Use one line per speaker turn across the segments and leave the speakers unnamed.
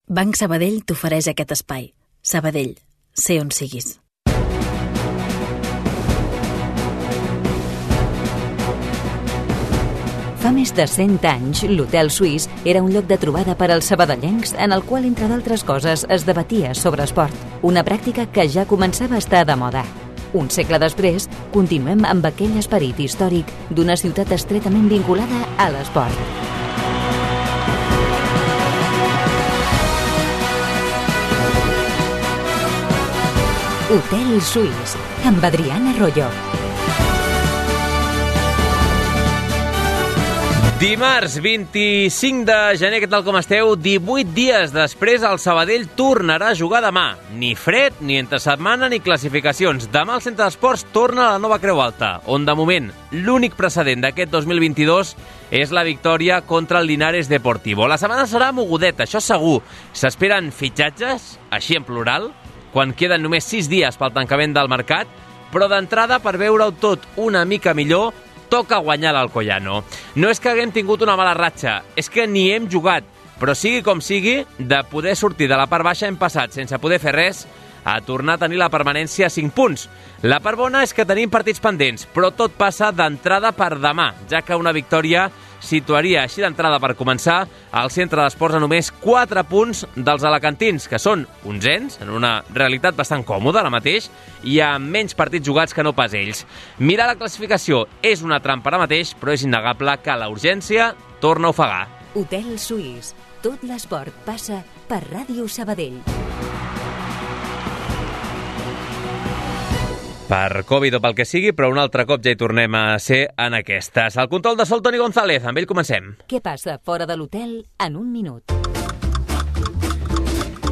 Banc Sabadell t'ofereix aquest espai. Sabadell, sé on siguis.
Fa més de 100 anys, l'Hotel Suís era un lloc de trobada per als sabadellencs en el qual, entre d'altres coses, es debatia sobre esport. Una pràctica que ja començava a estar de moda. Un segle després, continuem amb aquell esperit històric d'una ciutat estretament vinculada a l'esport. Hotel Suís, amb Adriana Arroyo.
Dimarts 25 de gener, què tal com esteu? 18 dies després el Sabadell tornarà a jugar demà. Ni fred, ni entre setmana, ni classificacions. Demà el Centre d'Esports torna a la nova Creu Alta, on de moment l'únic precedent d'aquest 2022 és la victòria contra el Linares Deportivo. La setmana serà mogudeta, això segur. S'esperen fitxatges, així en plural, quan queden només 6 dies pel tancament del mercat, però d'entrada, per veure-ho tot una mica millor, toca guanyar l'Alcoyano. No és que haguem tingut una mala ratxa, és que ni hem jugat, però sigui com sigui, de poder sortir de la part baixa hem passat, sense poder fer res, a tornar a tenir la permanència a 5 punts. La part bona és que tenim partits pendents, però tot passa d'entrada per demà, ja que una victòria situaria així d'entrada per començar al Centre d'Esports a només 4 punts dels alacantins, que són 11ens, en una realitat bastant còmoda ara mateix, i amb menys partits jugats que no pas ells. Mirar la classificació és una trampa ara mateix, però és innegable que la urgència torna a ofegar.
Hotel Suís. Tot l'esport passa per Ràdio Sabadell.
Per Covid o pel que sigui, però un altre cop ja hi tornem a ser en aquestes. El control de sol, Toni González. Amb ell comencem.
Què passa fora de l'hotel en un minut?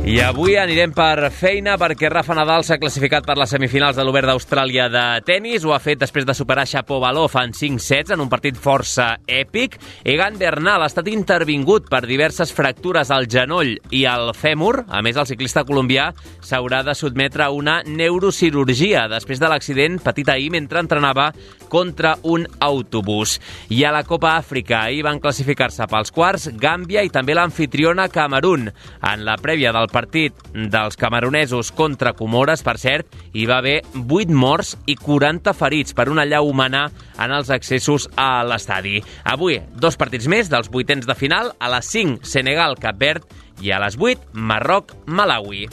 I avui anirem per feina perquè Rafa Nadal s'ha classificat per les semifinals de l'Obert d'Austràlia de tennis. Ho ha fet després de superar Shapovalov en 5 sets en un partit força èpic. Egan Bernal ha estat intervingut per diverses fractures al genoll i al fèmur. A més, el ciclista colombià s'haurà de sotmetre a una neurocirurgia després de l'accident patit ahir mentre entrenava contra un autobús. I a la Copa Àfrica ahir van classificar-se pels quarts Gàmbia i també l'anfitriona Camerún. En la prèvia del partit dels camerunesos contra Comores, per cert, hi va haver 8 morts i 40 ferits per una allau humana en els accessos a l'estadi. Avui, 2 partits més dels vuitens de final, a les 5 Senegal-Cap Verd i a les 8 Marroc-Malawi.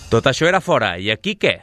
Tot això era fora, i aquí què?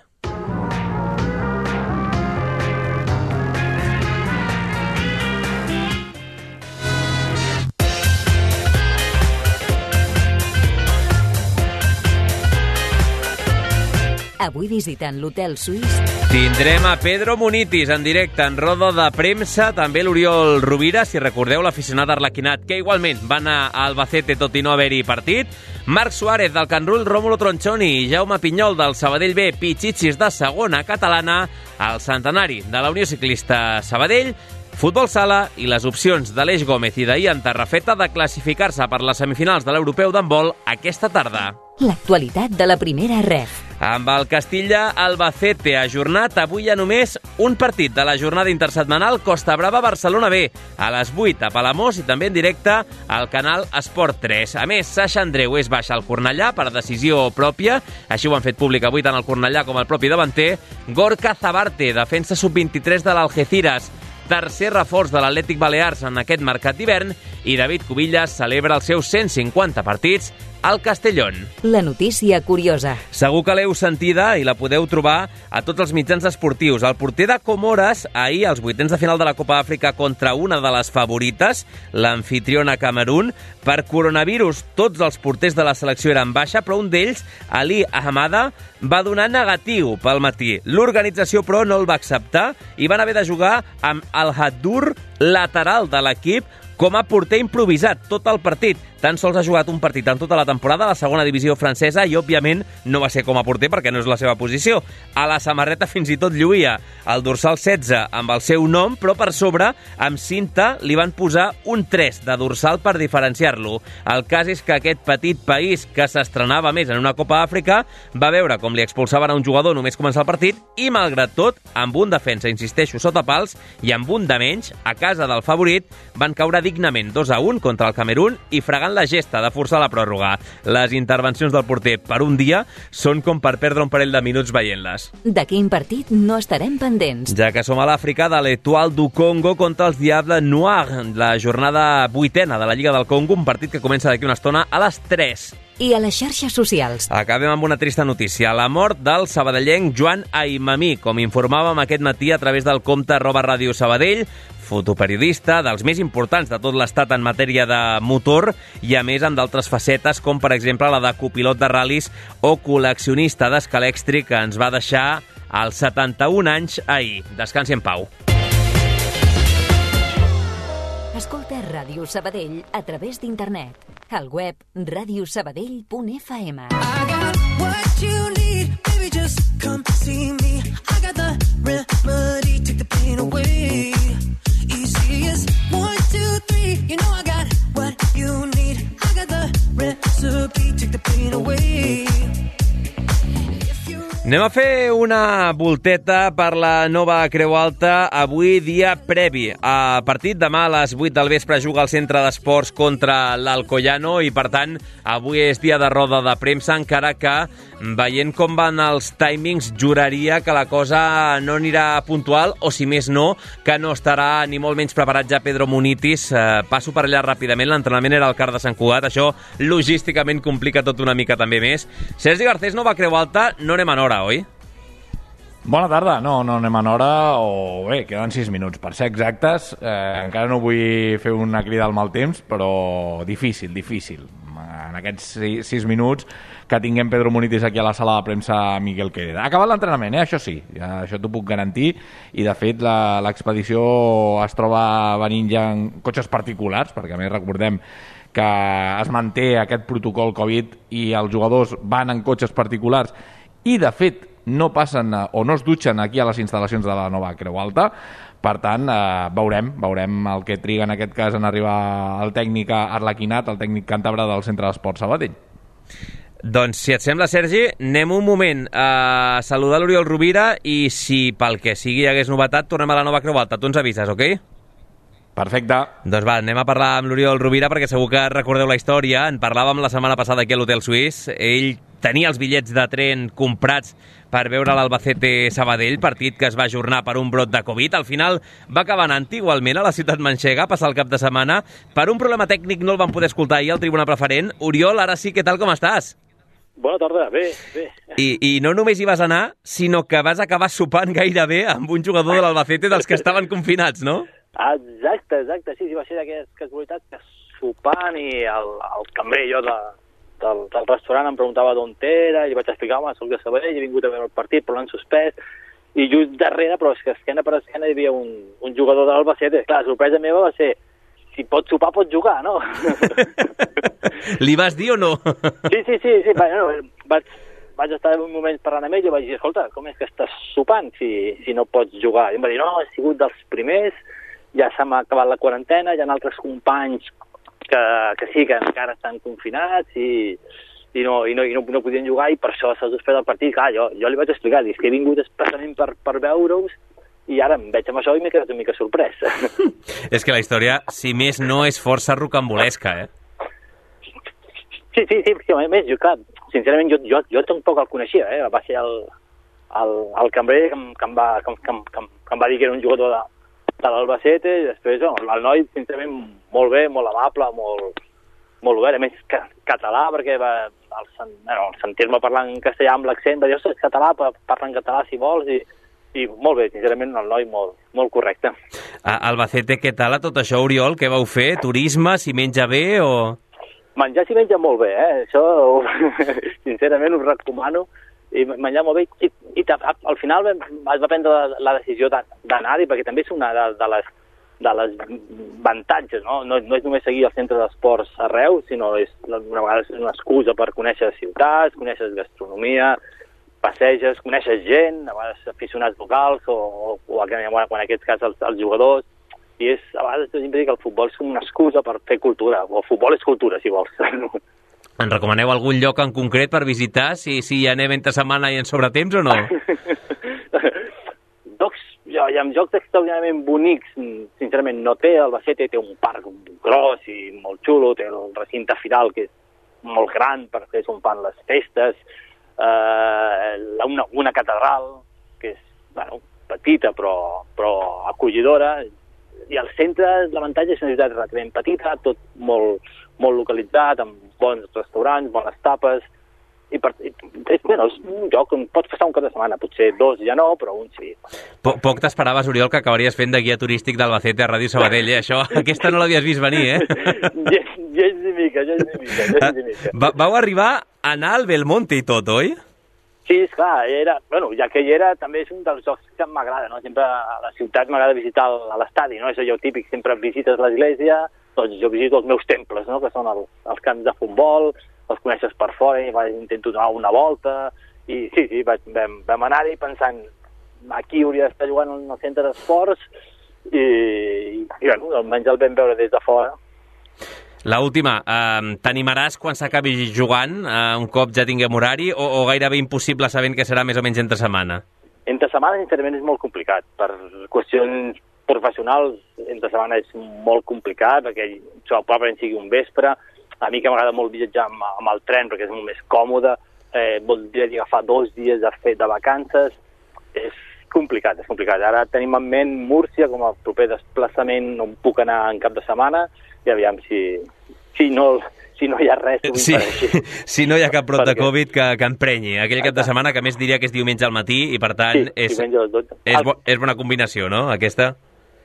Avui visitant l'Hotel Suís.
Tindrem a Pedro Munitis en directe en roda de premsa, també l'Oriol Rovira, si recordeu, l'aficionat arlequinat, que igualment va anar a Albacete tot i no haver-hi partit. Marc Suárez del Can Rull, Rómulo Tronchoni i Jaume Pinyol del Sabadell B, Pichichis de segona catalana, el centenari de la Unió Ciclista Sabadell, futbol sala i les opcions d'Aleix Gómez i d'Ian Tarrafeta de classificar-se per les semifinals de l'Europeu d'handbol aquesta tarda.
L'actualitat de la primera ref.
Amb el Castilla-Albacete ajornat, avui hi ha només un partit de la jornada intersetmanal Costa Brava-Barcelona B, a les 8 a Palamós i també en directe al canal Esport 3. A més, Sasha Andreu és baixa al Cornellà per decisió pròpia, així ho han fet públic avui tant el Cornellà com el propi davanter. Gorka Zabarte, defensa sub-23 de l'Algeciras, tercer reforç de l'Atlètic Balears en aquest mercat d'hivern, i David Cubillas celebra els seus 150 partits al Castellón.
La notícia curiosa.
Segur que l'heu sentida i la podeu trobar a tots els mitjans esportius. El porter de Comores, ahir, als vuitens de final de la Copa Àfrica contra una de les favorites, l'anfitriona Camerún, per coronavirus tots els porters de la selecció eren baixa, però un d'ells, Ali Ahmada, va donar negatiu pel matí. L'organització, però, no el va acceptar i van haver de jugar amb el Haddour, lateral de l'equip, com a porter improvisat tot el partit. Tan sols ha jugat un partit en tota la temporada a la segona divisió francesa i, òbviament, no va ser com a porter perquè no és la seva posició. A la samarreta fins i tot lluïa el dorsal 16 amb el seu nom, però per sobre, amb cinta, li van posar un 3 de dorsal per diferenciar-lo. El cas és que aquest petit país que s'estrenava més en una Copa Àfrica va veure com li expulsaven a un jugador només començar el partit i, malgrat tot, amb un defensa, insisteixo, sota pals i amb un de menys, a casa del favorit, van caure dignament 2-1 contra el Camerún i fregant la gesta de forçar la pròrroga. Les intervencions del porter per un dia són com per perdre un parell de minuts veient-les.
De quin partit no estarem pendents?
Ja que som a l'Àfrica, de l'Etoile du Congo contra els Diables Noirs, la jornada 8ª de la Lliga del Congo, un partit que comença d'aquí una estona a les 3.
I a les xarxes socials.
Acabem amb una trista notícia. La mort del sabadellenc Joan Aimamí, com informàvem aquest matí a través del compte @Ràdio Sabadell, fotoperiodista dels més importants de tot l'estat en matèria de motor i, a més, amb d'altres facetes, com per exemple la de copilot de ral·lis o col·leccionista d'escalèxtric, que ens va deixar als 71 anys ahir. Descansi en pau.
Escolta Ràdio Sabadell a través d'internet. Al web radiosabadell.fm.
I got what you need, baby, just come see me. I got the remedy, take the pain away. Easy as 1, 2, 3, you know I got what you need. I got the recipe, take the pain away.
Anem a fer una volteta per la nova Creu Alta, avui dia previ a partit. Demà a les 8 del vespre juga el Centre d'Esports contra l'Alcoyano i, per tant, avui és dia de roda de premsa, encara que, veient com van els timings, juraria que la cosa no anirà puntual, o, si més no, que no estarà ni molt menys preparat ja Pedro Munitis. Passo per allà ràpidament, l'entrenament era al CAR de Sant Cugat, això logísticament complica tot una mica també més. Sergi Garcés, nova Creu Alta, no anem en hora, oi?
Bona tarda. No anem en hora, o bé, queden 6 minuts per ser exactes. Encara no vull fer una crida al mal temps, però difícil. En aquests 6 minuts que tinguem Pedro Munitis aquí a la sala de premsa Miguel Quereda. Ha acabat l'entrenament, això sí, això t'ho puc garantir, i de fet l'expedició es troba venint ja en cotxes particulars, perquè a més recordem que es manté aquest protocol Covid i els jugadors van en cotxes particulars i, de fet, no passen o no es dutxen aquí a les instal·lacions de la nova Creu Alta. Per tant, veurem el que triga en aquest cas en arribar el tècnic Arlequinat, el tècnic càntabre del Centre d'Esports Sabadell.
Doncs, si et sembla, Sergi, anem un moment a saludar l'Oriol Rovira i, si pel que sigui hi hagués novetat, tornem a la nova Creu Alta. Tu ens avises, ok?
Perfecte.
Doncs va, anem a parlar amb l'Oriol Rovira, perquè segur que recordeu la història. En parlàvem la setmana passada aquí a l'Hotel Suís. Ell tenia els bitllets de tren comprats per veure l'Albacete Sabadell, partit que es va ajornar per un brot de Covid. Al final va acabar anant igualment a la ciutat manxega a passar el cap de setmana. Per un problema tècnic no el van poder escoltar ahir al Tribuna Preferent. Oriol, ara sí, què tal, com estàs?
Bona tarda, bé.
I no només hi vas anar, sinó que vas acabar sopant gairebé amb un jugador de l'Albacete dels que estaven confinats, no?
Exacte, sí, va ser d'aquesta casualitat que sopant i el cambrer jo del restaurant em preguntava d'on era, i li vaig explicar, home, soc de Sabadell, he vingut a veure el partit, però l'han suspès, i just darrere, però és que esquena per esquena hi havia un jugador de l'Albacete. Clar, la sorpresa meva va ser, si pot sopar, pot jugar, no?
Li vas dir o no?
Sí. Bueno, vaig estar un moment parlant amb ell i vaig dir, escolta, com és que estàs sopant si no pots jugar? I em va dir, no, he sigut dels primers, ja se m'ha acabat la quarantena, hi ha altres companys que sí, que encara estan confinats i no podien jugar, i per això s'ha suspès el partit. Clar, jo li vaig explicar, dic que he vingut especialment per veure-us, i ara em veig amb això i m'he quedat una mica sorprès.
És que la història, si més no, és força rocambolesca, eh?
Sí, perquè a més, clar, sincerament jo tampoc el coneixia, va ser el cambrer que em va dir que era un jugador de l'Albacete, i després el noi, sincerament, molt bé, molt amable, molt obert, a més català, perquè al sentir-me parlar en castellà amb l'accent va dir, ostres, català, parla en català si vols, i molt bé, sincerament, el noi molt correcte.
Albacete, què tal a tot això, Oriol? Què vau fer? Turisme, si menja bé o...?
Menjar s'hi menja molt bé, això sincerament us recomano, i menjar molt bé, i al final es va prendre la decisió d'anar-hi, perquè també és una de les avantatges, no? No és només seguir el centre d'esports arreu, sinó una vegada és una excusa per conèixer ciutats, conèixer gastronomia, passeges, coneixes gent, a vegades aficionats locals o en aquest cas els jugadors, i a vegades sempre dic que el futbol és una excusa per fer cultura, o el futbol és cultura, si vols.
En recomaneu algun lloc en concret per visitar, si hi anem entre setmana i en sobretemps o no?
Doncs, i amb jocs extraordinàriament bonics, sincerament no té. El Albacete té un parc gros i molt xulo, té el recinte final que és molt gran perquè s'on fan les festes, una catedral que és petita però acollidora, i al centre l'avantatge és una ciutat relativament petita, tot molt localitzat, amb bons restaurants, bones tapes, i és un lloc on pots passar un cap de setmana, potser 2 ja no, però un sí.
Poc t'esperaves, Oriol, que acabaries fent de guia turístic d'Albacete a Ràdio Sabadell, Això, aquesta no l'havies vist venir,
Gens ni mica.
Vau arribar a anar al Belmonte i tot, oi?
Sí, esclar, ja que hi era, també és un dels jocs que m'agrada, no? Sempre a la ciutat m'agrada visitar l'estadi, no? És allò típic, sempre visites l'església, doncs jo visito els meus temples, no? Que són els camps de futbol, els coneixes per fora i intento donar una volta, i sí, vam anar-hi pensant aquí hauria d'estar jugant al centre d'esports i almenys el vam veure des de fora.
L'última, t'animaràs quan s'acabi jugant, un cop ja tinguem horari, o gairebé impossible sabent que serà més o menys entre setmana?
Entre setmana, sincerament, és molt complicat. Per qüestions professionals, entre setmana és molt complicat, perquè probablement sigui un vespre. A mi que m'agrada molt viatjar amb el tren perquè és molt més còmode, voldria agafar 2 dies de vacances, és complicat. Ara tenim en ment Múrcia com a proper desplaçament on puc anar en cap de setmana i aviam si no hi ha res.
Si no hi ha cap brot de Covid que emprenyi aquell cap de setmana, que més diria que és diumenge al matí i per tant és bona combinació, no, aquesta?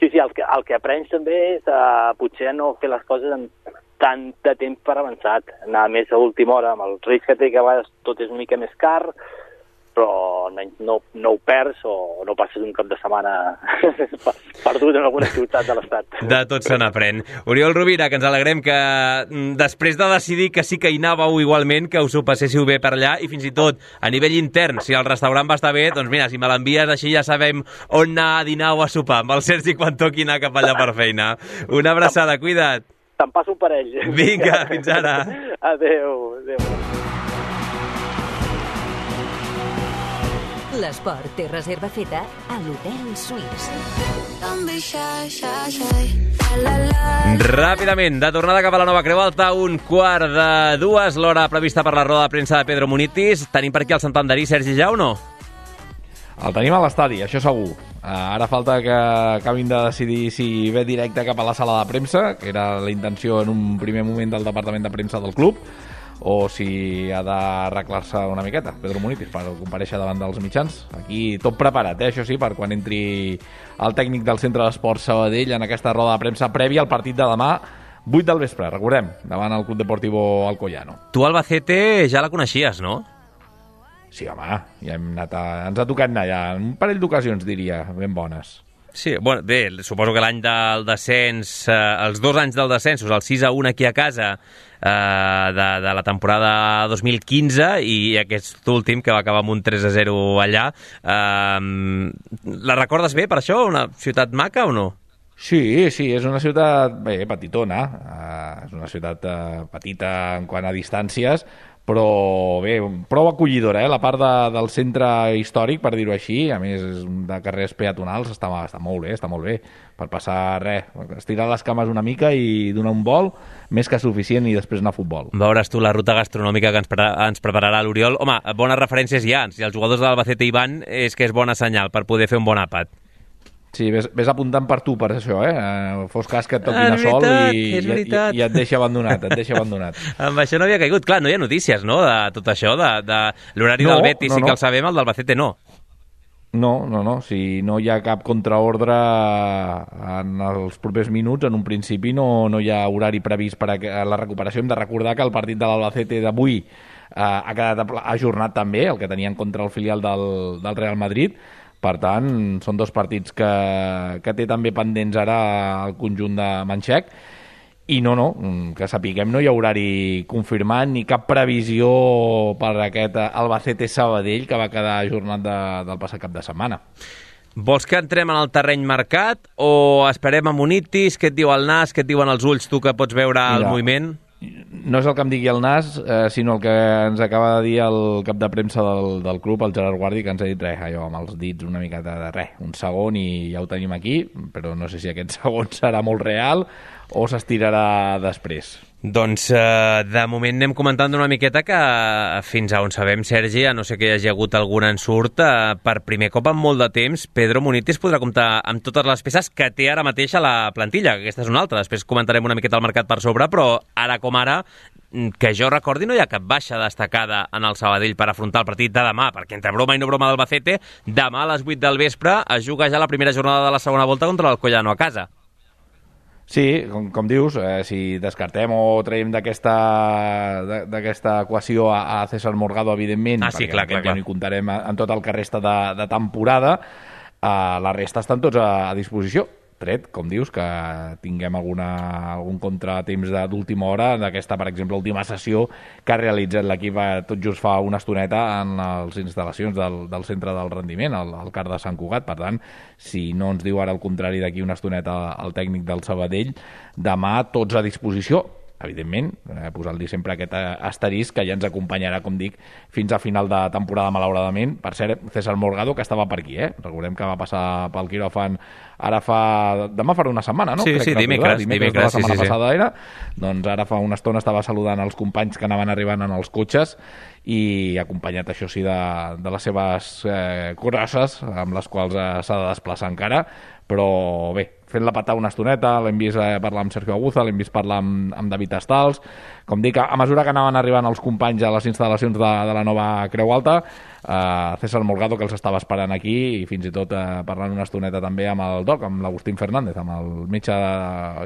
Sí, el que aprens també és potser no fer les coses amb tant de temps per avançat, anar més a última hora, amb el risc que té que a vegades tot és una mica més car, però no ho perds o no passes un cap de setmana perdut en alguna ciutat de l'Estat.
De tot se n'aprèn. Oriol Rovira, que ens alegrem que després de decidir que sí que hi anàveu igualment, que us ho passéssiu bé per allà, i fins i tot a nivell intern, si el restaurant va estar bé, doncs mira, si me l'envies així ja sabem on anar a dinar o a sopar, amb el Sergi quan toqui anar cap allà per feina. Una abraçada, cuida't.
Te'n passo un parell.
Vinga, fins ara.
Adéu.
L'esport té reserva feta a l'Hotel Suís.
Ràpidament, de tornada cap a la Nova Creu Alta, 1:15, l'hora prevista per la roda de premsa de Pedro Munitis. Tenim per aquí el santanderí Sergi Ja o no?
El tenim a l'estadi, això segur. Ara falta que acabin de decidir si ve directe cap a la sala de premsa, que era la intenció en un primer moment del departament de premsa del club, o si ha d'arreglar-se una miqueta, Pedro Munitis, per comparèixer davant dels mitjans. Aquí tot preparat, això sí, per quan entri el tècnic del Centre d'Esports Sabadell en aquesta roda de premsa prèvia al partit de demà, 8 del vespre, recordem, davant el Club Deportivo Alcoyano.
Tu, Albacete, ja la coneixies, no?
Sí, home, ja ens ha tocat anar ja, un parell d'ocasions, diria, ben bones.
Sí, bueno, bé, suposo que l'any del descens, els 2 anys del descens, el 6-1 aquí a casa de la temporada 2015 i aquest últim que va acabar amb un 3-0 allà. La recordes bé per això? Una ciutat maca o no?
Sí, és una ciutat petitona, és una ciutat petita en quant a distàncies, però bé, prou acollidora, la part del centre històric, per dir-ho així, a més de carrers peatonals, està molt bé, per passar estirar les cames una mica i donar un vol, més que suficient, i després anar a futbol.
Veuràs tu la ruta gastronòmica que ens prepararà l'Oriol. Home, bones referències hi ha, si els jugadors de l'Albacete hi van és que és bona senyal per poder fer un bon àpat.
Sí, ves apuntant per tu, per això, fos cas que et toquin a sol i et deixa abandonat,
Amb això no havia caigut. Clar, no hi ha notícies, no?, de tot això, de l'horari del Betis, sí que el sabem, el del Albacete no.
No, si no hi ha cap contraordre en els propers minuts, en un principi no hi ha horari previst per a la recuperació. Hem de recordar que el partit de l'Albacete d'avui ha quedat ajornat també, el que tenien contra el filial del Real Madrid. Per tant, són 2 partits que té també pendents ara el conjunt de Manxec. I que sapiguem, no hi ha horari confirmat ni cap previsió per aquest Albacete Sabadell que va quedar ajornat del passat cap de setmana.
Vols que entrem en el terreny marcat o esperem a Munitis? Què et diu el nas? Què et diuen els ulls, tu que pots veure el moviment?
no és el que em digui el nas, sinó el que ens acaba de dir el cap de premsa del club, el Gerard Guardi, que ens ha dit allò amb els dits una miqueta de res, un segon i ja ho tenim aquí, però no sé si aquest segon serà molt real o s'estirarà després.
Doncs de moment anem comentant una miqueta que fins a on sabem, Sergi, a no sé que hi hagi hagut algun ensurt, per primer cop en molt de temps, Pedro Munitis podrà comptar amb totes les peces que té ara mateix a la plantilla, que aquesta és una altra, després comentarem una miqueta el mercat per sobre, però ara com ara, que jo recordi, no hi ha cap baixa destacada en el Sabadell per afrontar el partit de demà, perquè entre broma i no broma d'Albacete, demà a les 8 del vespre es juga ja la primera jornada de la segona volta contra l'Alcoyano a casa.
Sí, com dius, si descartem o traiem d'aquesta equació a César Morgado, evidentment,
sí,
perquè
clar.
ja no hi comptarem en tot el que resta de temporada, la resta estan tots a disposició, tret, com dius, que tinguem algun contratemps d'última hora d'aquesta, per exemple, última sessió que ha realitzat l'equip tot just fa una estoneta en les instal·lacions del centre del rendiment, al CAR de Sant Cugat. Per tant, si no ens diu ara el contrari d'aquí una estoneta el tècnic del Sabadell, demà tots a disposició. Evidentment, posant-li sempre aquest asterisc que ja ens acompanyarà, com dic, fins a final de temporada, malauradament. Per cert, César Morgado, que estava per aquí, Recordem que va passar pel quiròfan demà farà una setmana, no?
Sí, dimecres
de la setmana passada era. Doncs ara fa una estona estava saludant els companys que anaven arribant en els cotxes i acompanyat, això sí, de les seves crosses, amb les quals s'ha de desplaçar encara, però bé, fent-la patar una estoneta, l'hem vist parlar amb Sergio Aguza, l'hem vist parlar amb David Estals. Com dic, a mesura que anaven arribant els companys a les instal·lacions de la nova Creu Alta, César Morgado, que els estava esperant aquí, i fins i tot parlant una estoneta també amb el doc, amb l'Agustín Fernández, amb el metge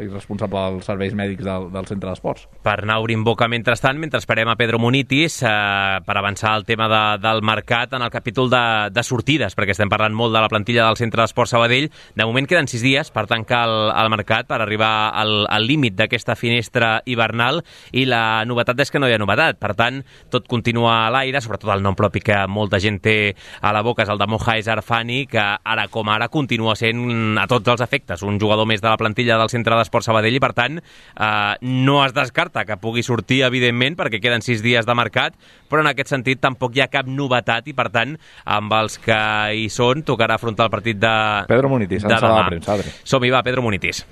i responsable dels serveis mèdics del centre d'esports.
Per anar obrint boca mentrestant, mentre esperem a Pedro Munitis, per avançar el tema del mercat en el capítol de sortides, perquè estem parlant molt de la plantilla del centre d'esports Sabadell. De moment queden 6 dies per tancar el mercat, per arribar al límit d'aquesta finestra hivernal, i la novetat és que no hi ha novetat. Per tant, tot continua a l'aire, sobretot el nom propi que molta gent té a la boca és el de Mohaes Arfani, que ara com ara continua sent a tots els efectes un jugador més de la plantilla del centre d'esports Sabadell, i per tant no es descarta que pugui sortir, evidentment, perquè queden 6 dies de mercat, però en aquest sentit tampoc hi ha cap novetat, i per tant amb els que hi són tocarà afrontar el partit de
Pedro Munitis,
de demà.
La premsa, Adri.
Som-hi, va, Pedro Munitis.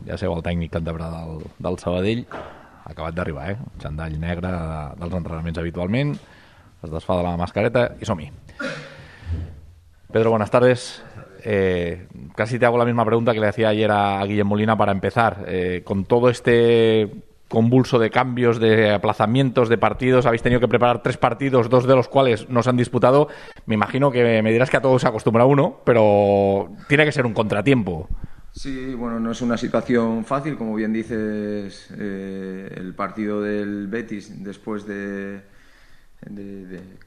Ja seu el tècnic cantabrà del Sabadell, ha acabat d'arribar, xandall negre dels entrenaments habitualment, es desfà de la mascareta i som-hi. Pedro, buenas tardes. Casi te hago la misma pregunta que le hacía ayer a Guillem Molina para empezar. Con todo este convulso de cambios, de aplazamientos de partidos, habéis tenido que preparar 3 partidos, 2 de los cuales no se han disputado. Me imagino que me dirás que a todos se acostumbra uno, pero tiene que ser un contratiempo.
Sí, bueno, no es una situación fácil, como bien dices, el partido del Betis después de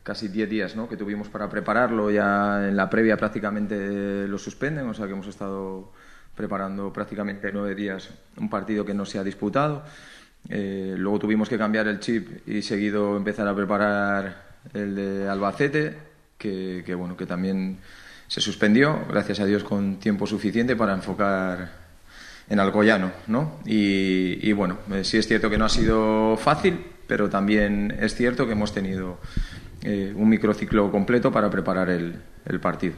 casi 10 días, ¿no?, que tuvimos para prepararlo, ya en la previa prácticamente lo suspenden, o sea que hemos estado preparando prácticamente 9 días un partido que no se ha disputado. Luego tuvimos que cambiar el chip y seguido empezar a preparar el de Albacete, que bueno, que también se suspendió, gracias a Dios, con tiempo suficiente para enfocar en Alcoyano, ¿no? Y bueno, sí es cierto que no ha sido fácil, pero también es cierto que hemos tenido un microciclo completo para preparar el partido.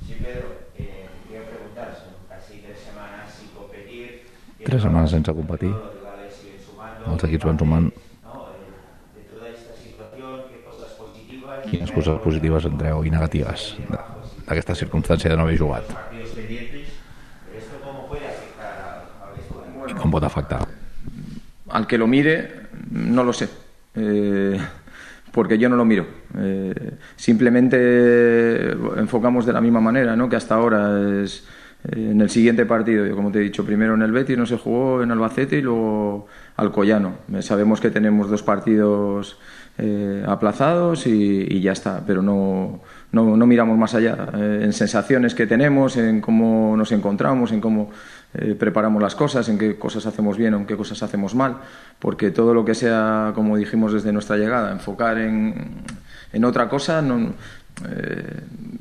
Sí, Pedro, quiero preguntar, son casi 3 semanas sin competir.
3 setmanes sense competir. Els equips van sumant. Quines coses positives en treu i negatives d'aquesta circumstància de no haver jugat? I com pot afectar?
Al que lo mire, no lo sé, porque yo no lo miro. Simplemente enfocamos de la misma manera, ¿no?, que hasta ahora es en el siguiente partido. Yo, como te he dicho, primero en el Betis no se jugó, en Albacete, y luego Alcoyano. Sabemos que tenemos 2 partidos aplazados y ya está, pero no miramos más allá, en sensaciones que tenemos, en cómo nos encontramos, en cómo preparamos las cosas, en qué cosas hacemos bien o en qué cosas hacemos mal, porque todo lo que sea, como dijimos desde nuestra llegada, enfocar en en otra cosa,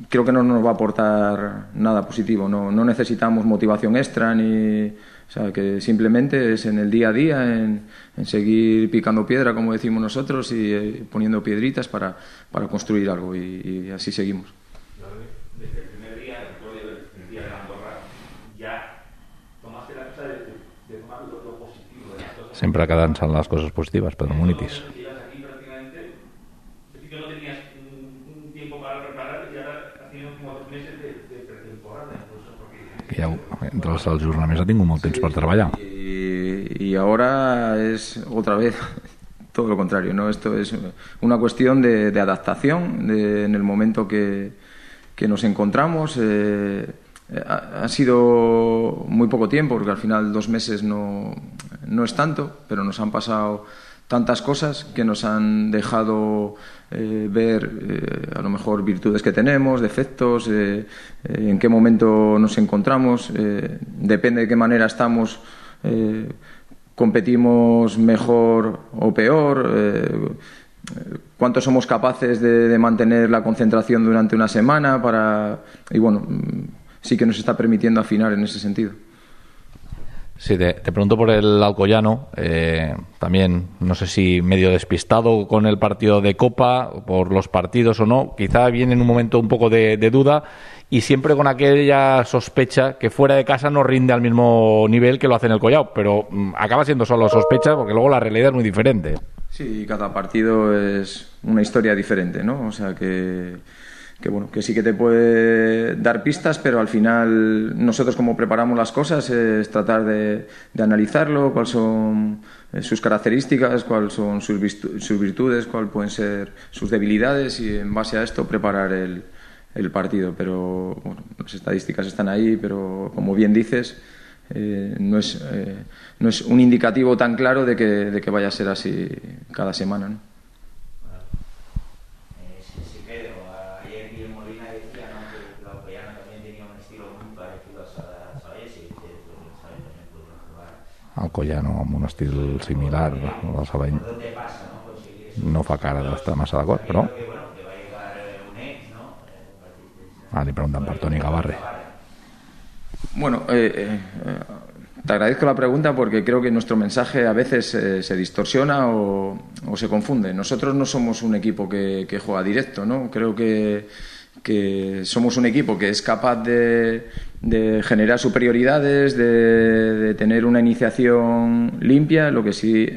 creo que no nos va a aportar nada positivo. No necesitamos motivación extra o sea, que simplemente es en el día a día, en seguir picando piedra, como decimos nosotros, y poniendo piedritas para construir algo, y así seguimos.
Desde el primer día, el día de la Andorra, ya tomaste la cosa de tomar lo positivo de las cosas.
Sempre quedant-se en les coses positives, Pedro Munitis.
Aquí prácticamente, es decir, que no tenías un tiempo para prepararte, y ahora haciendo como 3 meses de pretemporada, incluso, porque
Ja, entre els ajornaments ha tingut molt temps per treballar.
Y ahora es otra vez todo lo contrario, ¿no? Esto es una cuestión de adaptación en el momento que nos encontramos. Ha sido muy poco tiempo, porque al final 2 meses no es tanto, pero nos han pasado tantas cosas que nos han dejado ver a lo mejor virtudes que tenemos, defectos, en qué momento nos encontramos, depende de qué manera estamos, competimos mejor o peor, cuánto somos capaces de mantener la concentración durante una semana y bueno, sí que nos está permitiendo afinar en ese sentido.
Sí, te pregunto por el Alcoyano, también no sé si medio despistado con el partido de Copa, por los partidos o no, quizá viene en un momento un poco de duda, y siempre con aquella sospecha que fuera de casa no rinde al mismo nivel que lo hace en el Collao, pero acaba siendo solo sospecha, porque luego la realidad es muy diferente.
Sí, cada partido es una historia diferente, ¿no? O sea que bueno, que sí que te puede dar pistas, pero al final nosotros, como preparamos las cosas, es tratar de analizarlo, cuáles son sus características, cuáles son sus virtudes, cuáles pueden ser sus debilidades, y en base a esto preparar el partido. Pero bueno, las estadísticas están ahí, pero como bien dices, no es un indicativo tan claro de que vaya a ser así cada semana, ¿no?
Alcoyano amb un estil similar al Sabadell no fa cara d'estar massa d'acord, però li preguntan per Toni Gavarre.
Bueno, te agradezco la pregunta, porque creo que nuestro mensaje a veces se distorsiona o se confunde. Nosotros no somos un equipo que juega directo, ¿no? Creo que somos un equipo que es capaz de generar superioridades, de tener una iniciación limpia. Lo que sí,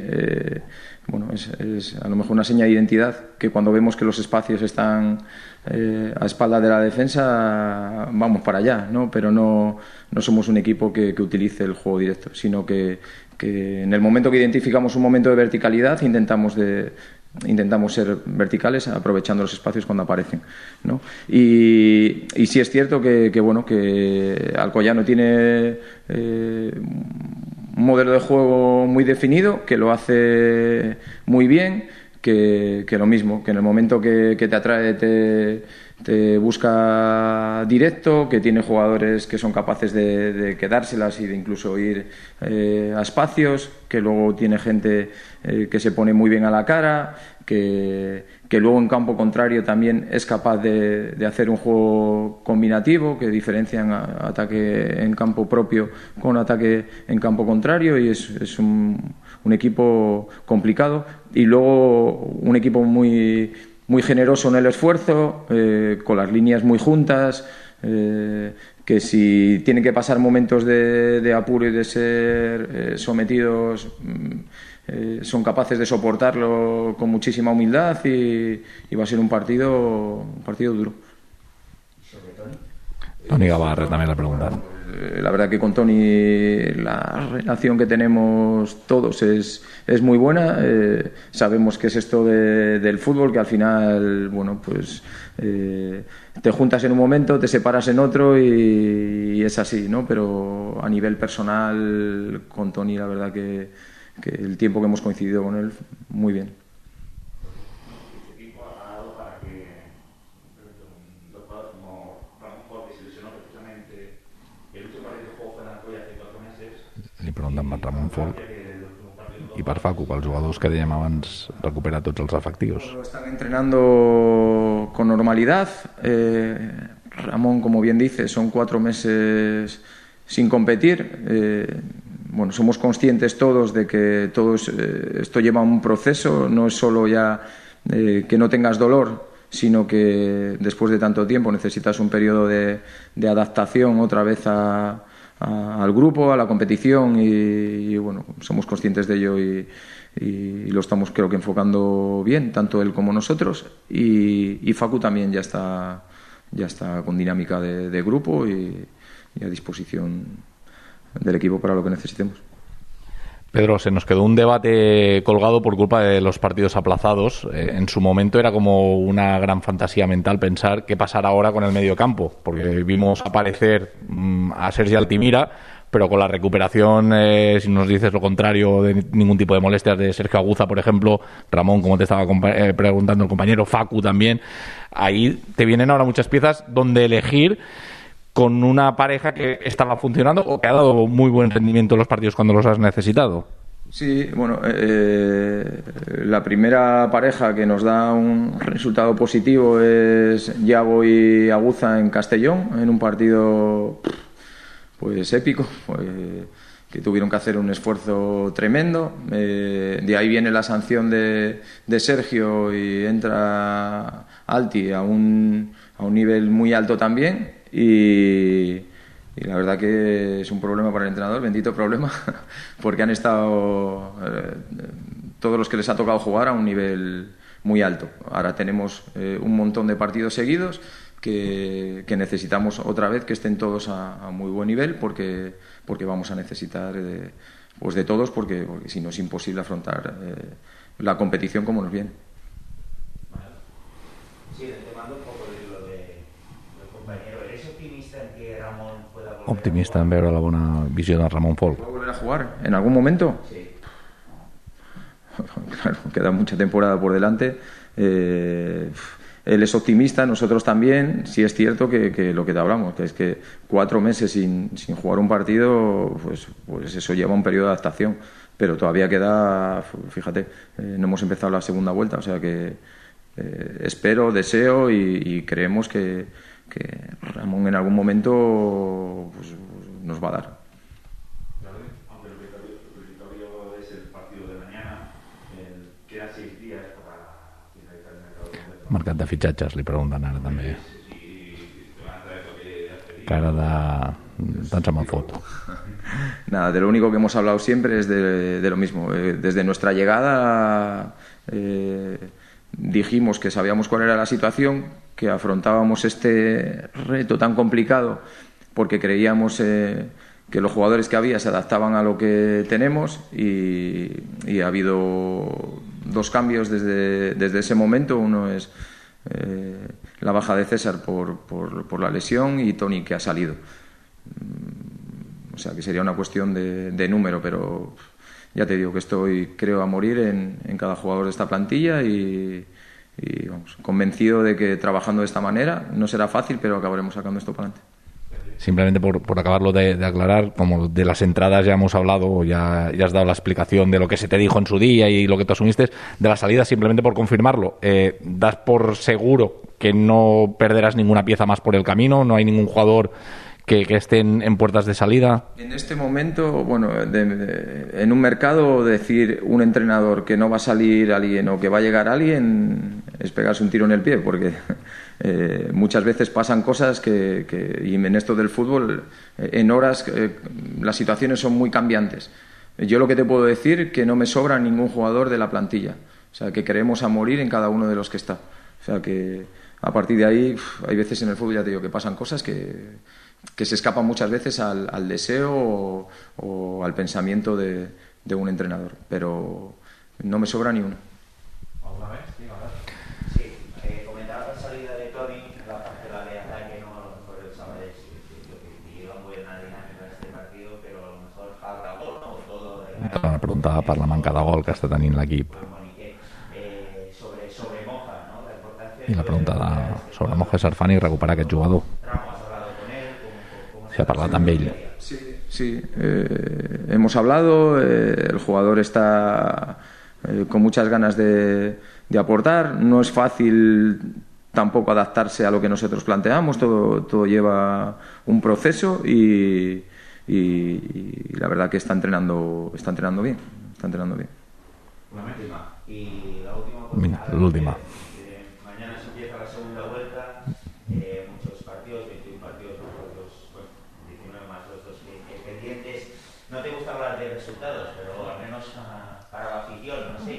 bueno, es a lo mejor una seña de identidad, que cuando vemos que los espacios están a espalda de la defensa, vamos para allá, ¿no? Pero no somos un equipo que utilice el juego directo, sino que en el momento que identificamos un momento de verticalidad intentamos ser verticales, aprovechando los espacios cuando aparecen, ¿no? Y sí es cierto que bueno, que Alcoyano tiene un modelo de juego muy definido, que lo hace muy bien, que lo mismo, que en el momento que te atrae te busca directo, que tiene jugadores que son capaces de quedárselas y de incluso ir a espacios, que luego tiene gente que se pone muy bien a la cara, que luego en campo contrario también es capaz de hacer un juego combinativo, que diferencian ataque en campo propio con ataque en campo contrario, y es un equipo complicado, y luego un equipo muy generoso en el esfuerzo, con las líneas muy juntas, que si tienen que pasar momentos de apuro y de ser sometidos, son capaces de soportarlo con muchísima humildad, y va a ser un partido duro.
Toni Gavarre también le preguntan.
La verdad que con Toni la relación que tenemos todos es muy buena. Sabemos que es esto del fútbol, que al final, bueno, pues te juntas en un momento, te separas en otro, y es así, ¿no? Pero a nivel personal, con Toni, la verdad que el tiempo que hemos coincidido con él, muy bien.
Este equipo ha ganado para que dos jugadores como Ramón Ford, que se lesionó precisamente el último partido de juego fue en Alcoya hace 4 meses.
Li pregunten per Ramon Folk.
El último partido
i per Facu, pels jugadors que dèiem abans, recuperar tots els efectius?
Están entrenando con normalidad. Ramón, como bien dice, son 4 meses sin competir. Bueno, somos conscientes todos de que esto lleva un proceso, no es solo ya que no tengas dolor, sino que después de tanto tiempo necesitas un periodo de adaptación otra vez al grupo, a la competición y bueno, somos conscientes de ello y lo estamos creo que enfocando bien, tanto él como nosotros y Facu también ya está con dinámica de grupo y a disposición del equipo para lo que necesitemos.
Pedro, se nos quedó un debate colgado por culpa de los partidos aplazados. En su momento era como una gran fantasía mental pensar qué pasará ahora con el medio campo, porque vimos aparecer a Sergi Altimira, pero con la recuperación, si nos dices lo contrario, de ningún tipo de molestias de Sergio Aguza, por ejemplo, Ramón, como te estaba preguntando el compañero, Facu también, ahí te vienen ahora muchas piezas donde elegir con una pareja que estaba funcionando o que ha dado muy buen rendimiento en los partidos cuando los has necesitado.
Sí, bueno, la primera pareja que nos da un resultado positivo es Yago y Aguza en Castellón, en un partido pues épico, que tuvieron que hacer un esfuerzo tremendo. De ahí viene la sanción de Sergio y entra Alti a un nivel muy alto también. Y la verdad que es un problema para el entrenador, bendito problema, porque han estado todos los que les ha tocado jugar a un nivel muy alto. Ahora tenemos un montón de partidos seguidos que necesitamos otra vez que estén todos a muy buen nivel porque vamos a necesitar pues de todos porque si no es imposible afrontar la competición como nos viene.
Sí, te mando un poco de lo del compañero. ¿Eres optimista en que Ramón pueda volver
Optimista en veure la bona visió de Ramon Folch.
¿Puede volver a jugar en algún momento?
Sí.
Claro, queda mucha temporada por delante. Él es optimista, nosotros también. Sí es cierto que lo que te hablamos, que es que 4 meses sin jugar un partido, pues eso lleva un periodo de adaptación. Pero todavía queda, fíjate, no hemos empezado la segunda vuelta, o sea que espero, deseo y creemos que Ramón en algún momento pues, nos va a dar.
Aunque el territorio es el partido de mañana, quedan 6 días para finalizar el mercado de invierno.
Mercat de fitxatges, li pregunten ara també. Cara de... tant se me'n fot.
Nada, de lo único que hemos hablado siempre es de lo mismo. Desde nuestra llegada dijimos que sabíamos cuál era la situación, que afrontábamos este reto tan complicado porque creíamos que los jugadores que había se adaptaban a lo que tenemos y ha habido 2 cambios desde ese momento. Uno es la baja de César por la lesión y Toni que ha salido. O sea que sería una cuestión de número, pero ya te digo que estoy, creo, a morir en cada jugador de esta plantilla y vamos, convencido de que trabajando de esta manera no será fácil, pero acabaremos sacando esto para adelante.
Simplemente por acabarlo de aclarar, como de las entradas ya hemos hablado, ya has dado la explicación de lo que se te dijo en su día y lo que tú asumiste, de la salida, simplemente por confirmarlo, ¿das por seguro que no perderás ninguna pieza más por el camino? ¿No hay ningún jugador que estén en puertas de salida?
En este momento, bueno, en un mercado decir un entrenador que no va a salir alguien o que va a llegar alguien es pegarse un tiro en el pie, porque muchas veces pasan cosas y en esto del fútbol, en horas, las situaciones son muy cambiantes. Yo lo que te puedo decir que no me sobra ningún jugador de la plantilla, o sea, que queremos a morir en cada uno de los que está. O sea, que a partir de ahí, hay veces en el fútbol, ya te digo, que pasan cosas que se escapan muchas veces al deseo o al pensamiento de un entrenador, pero no me sobra ni uno.
¿Alguna vez?
Sí, comentaba la salida de Toni en la parcela de ataque, no por el Sabadell, que lleva muy buena dinámica este partido, pero a lo mejor falta gol, ¿no? Todo
Una pregunta per la manca de gol que està tenint l'equip.
sobre Moja, ¿no? La importancia
I la pregunta sobre Moja Sarfani i recuperar aquest jugador. Si ha parlat amb ell.
Sí. Hemos hablado, el jugador está con muchas ganas de aportar. No es fácil tampoco adaptarse a lo que nosotros planteamos, todo lleva un proceso y la verdad que está entrenando bien.
Una última. Y la última.
Mira, l'última.
Mañana se empieza la segunda vuelta. Muchos partidos, 21 partidos, bueno, 19 más los dos pendientes. No te gusta hablar de resultados, pero al menos para la afición, no sé,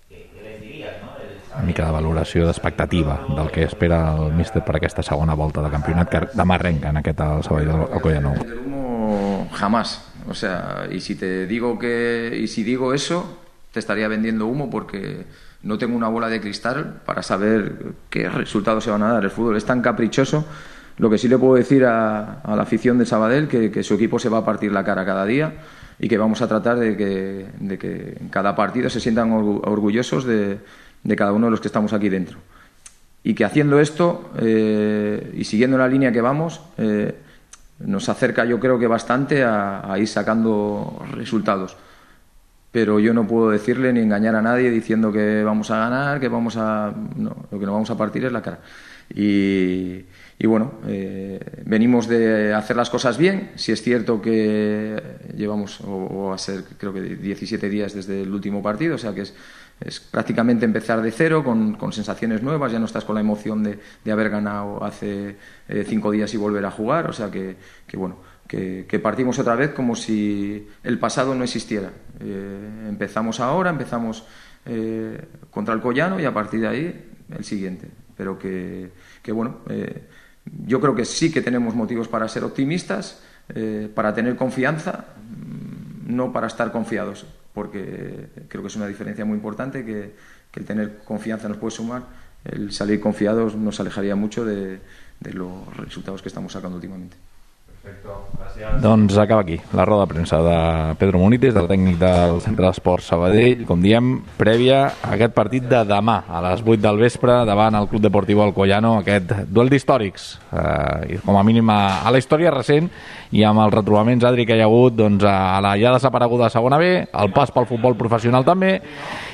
¿qué les dirías, no?
Una mica de valoració d'expectativa del que espera el míster per aquesta segona volta de campionat que demà arrenca en aquest al Sabadell del Collano.
El humo jamás. O sea, y si digo eso, te estaría vendiendo humo porque no tengo una bola de cristal para saber qué resultados se van a dar. El fútbol es tan caprichoso. Lo que sí le puedo decir a la afición de Sabadell que su equipo se va a partir la cara cada día y que vamos a tratar de que en cada partido se sientan orgullosos de cada uno de los que estamos aquí dentro. Y que haciendo esto y siguiendo la línea que vamos, nos acerca yo creo que bastante a ir sacando resultados. Pero yo no puedo decirle ni engañar a nadie diciendo que vamos a ganar, no, lo que nos vamos a partir es la cara. Y bueno, venimos de hacer las cosas bien. Si es cierto que llevamos, o va a ser creo que 17 días desde el último partido, o sea que es prácticamente empezar de cero, con sensaciones nuevas. Ya no estás con la emoción de haber ganado hace 5 días y volver a jugar, o sea que bueno, que partimos otra vez como si el pasado no existiera. Empezamos ahora, contra el Collano y a partir de ahí el siguiente. Pero que bueno, yo creo que sí que tenemos motivos para ser optimistas, para tener confianza, no para estar confiados, porque creo que es una diferencia muy importante, que el tener confianza nos puede sumar, el salir confiados nos alejaría mucho de los resultados que estamos sacando últimamente.
Perfecto, gràcies.
Doncs acaba aquí la roda de premsa de Pedro Munites, del tècnic del Centre d'Esports Sabadell, com diem, prèvia a aquest partit de demà a les 8 del vespre davant el Club Deportivo Alcoyano, aquest duel d'històrics, com a mínim a la història recent, i amb els retrobaments, Adri, que hi ha hagut doncs, a la ja desapareguda segona B, el pas pel futbol professional també,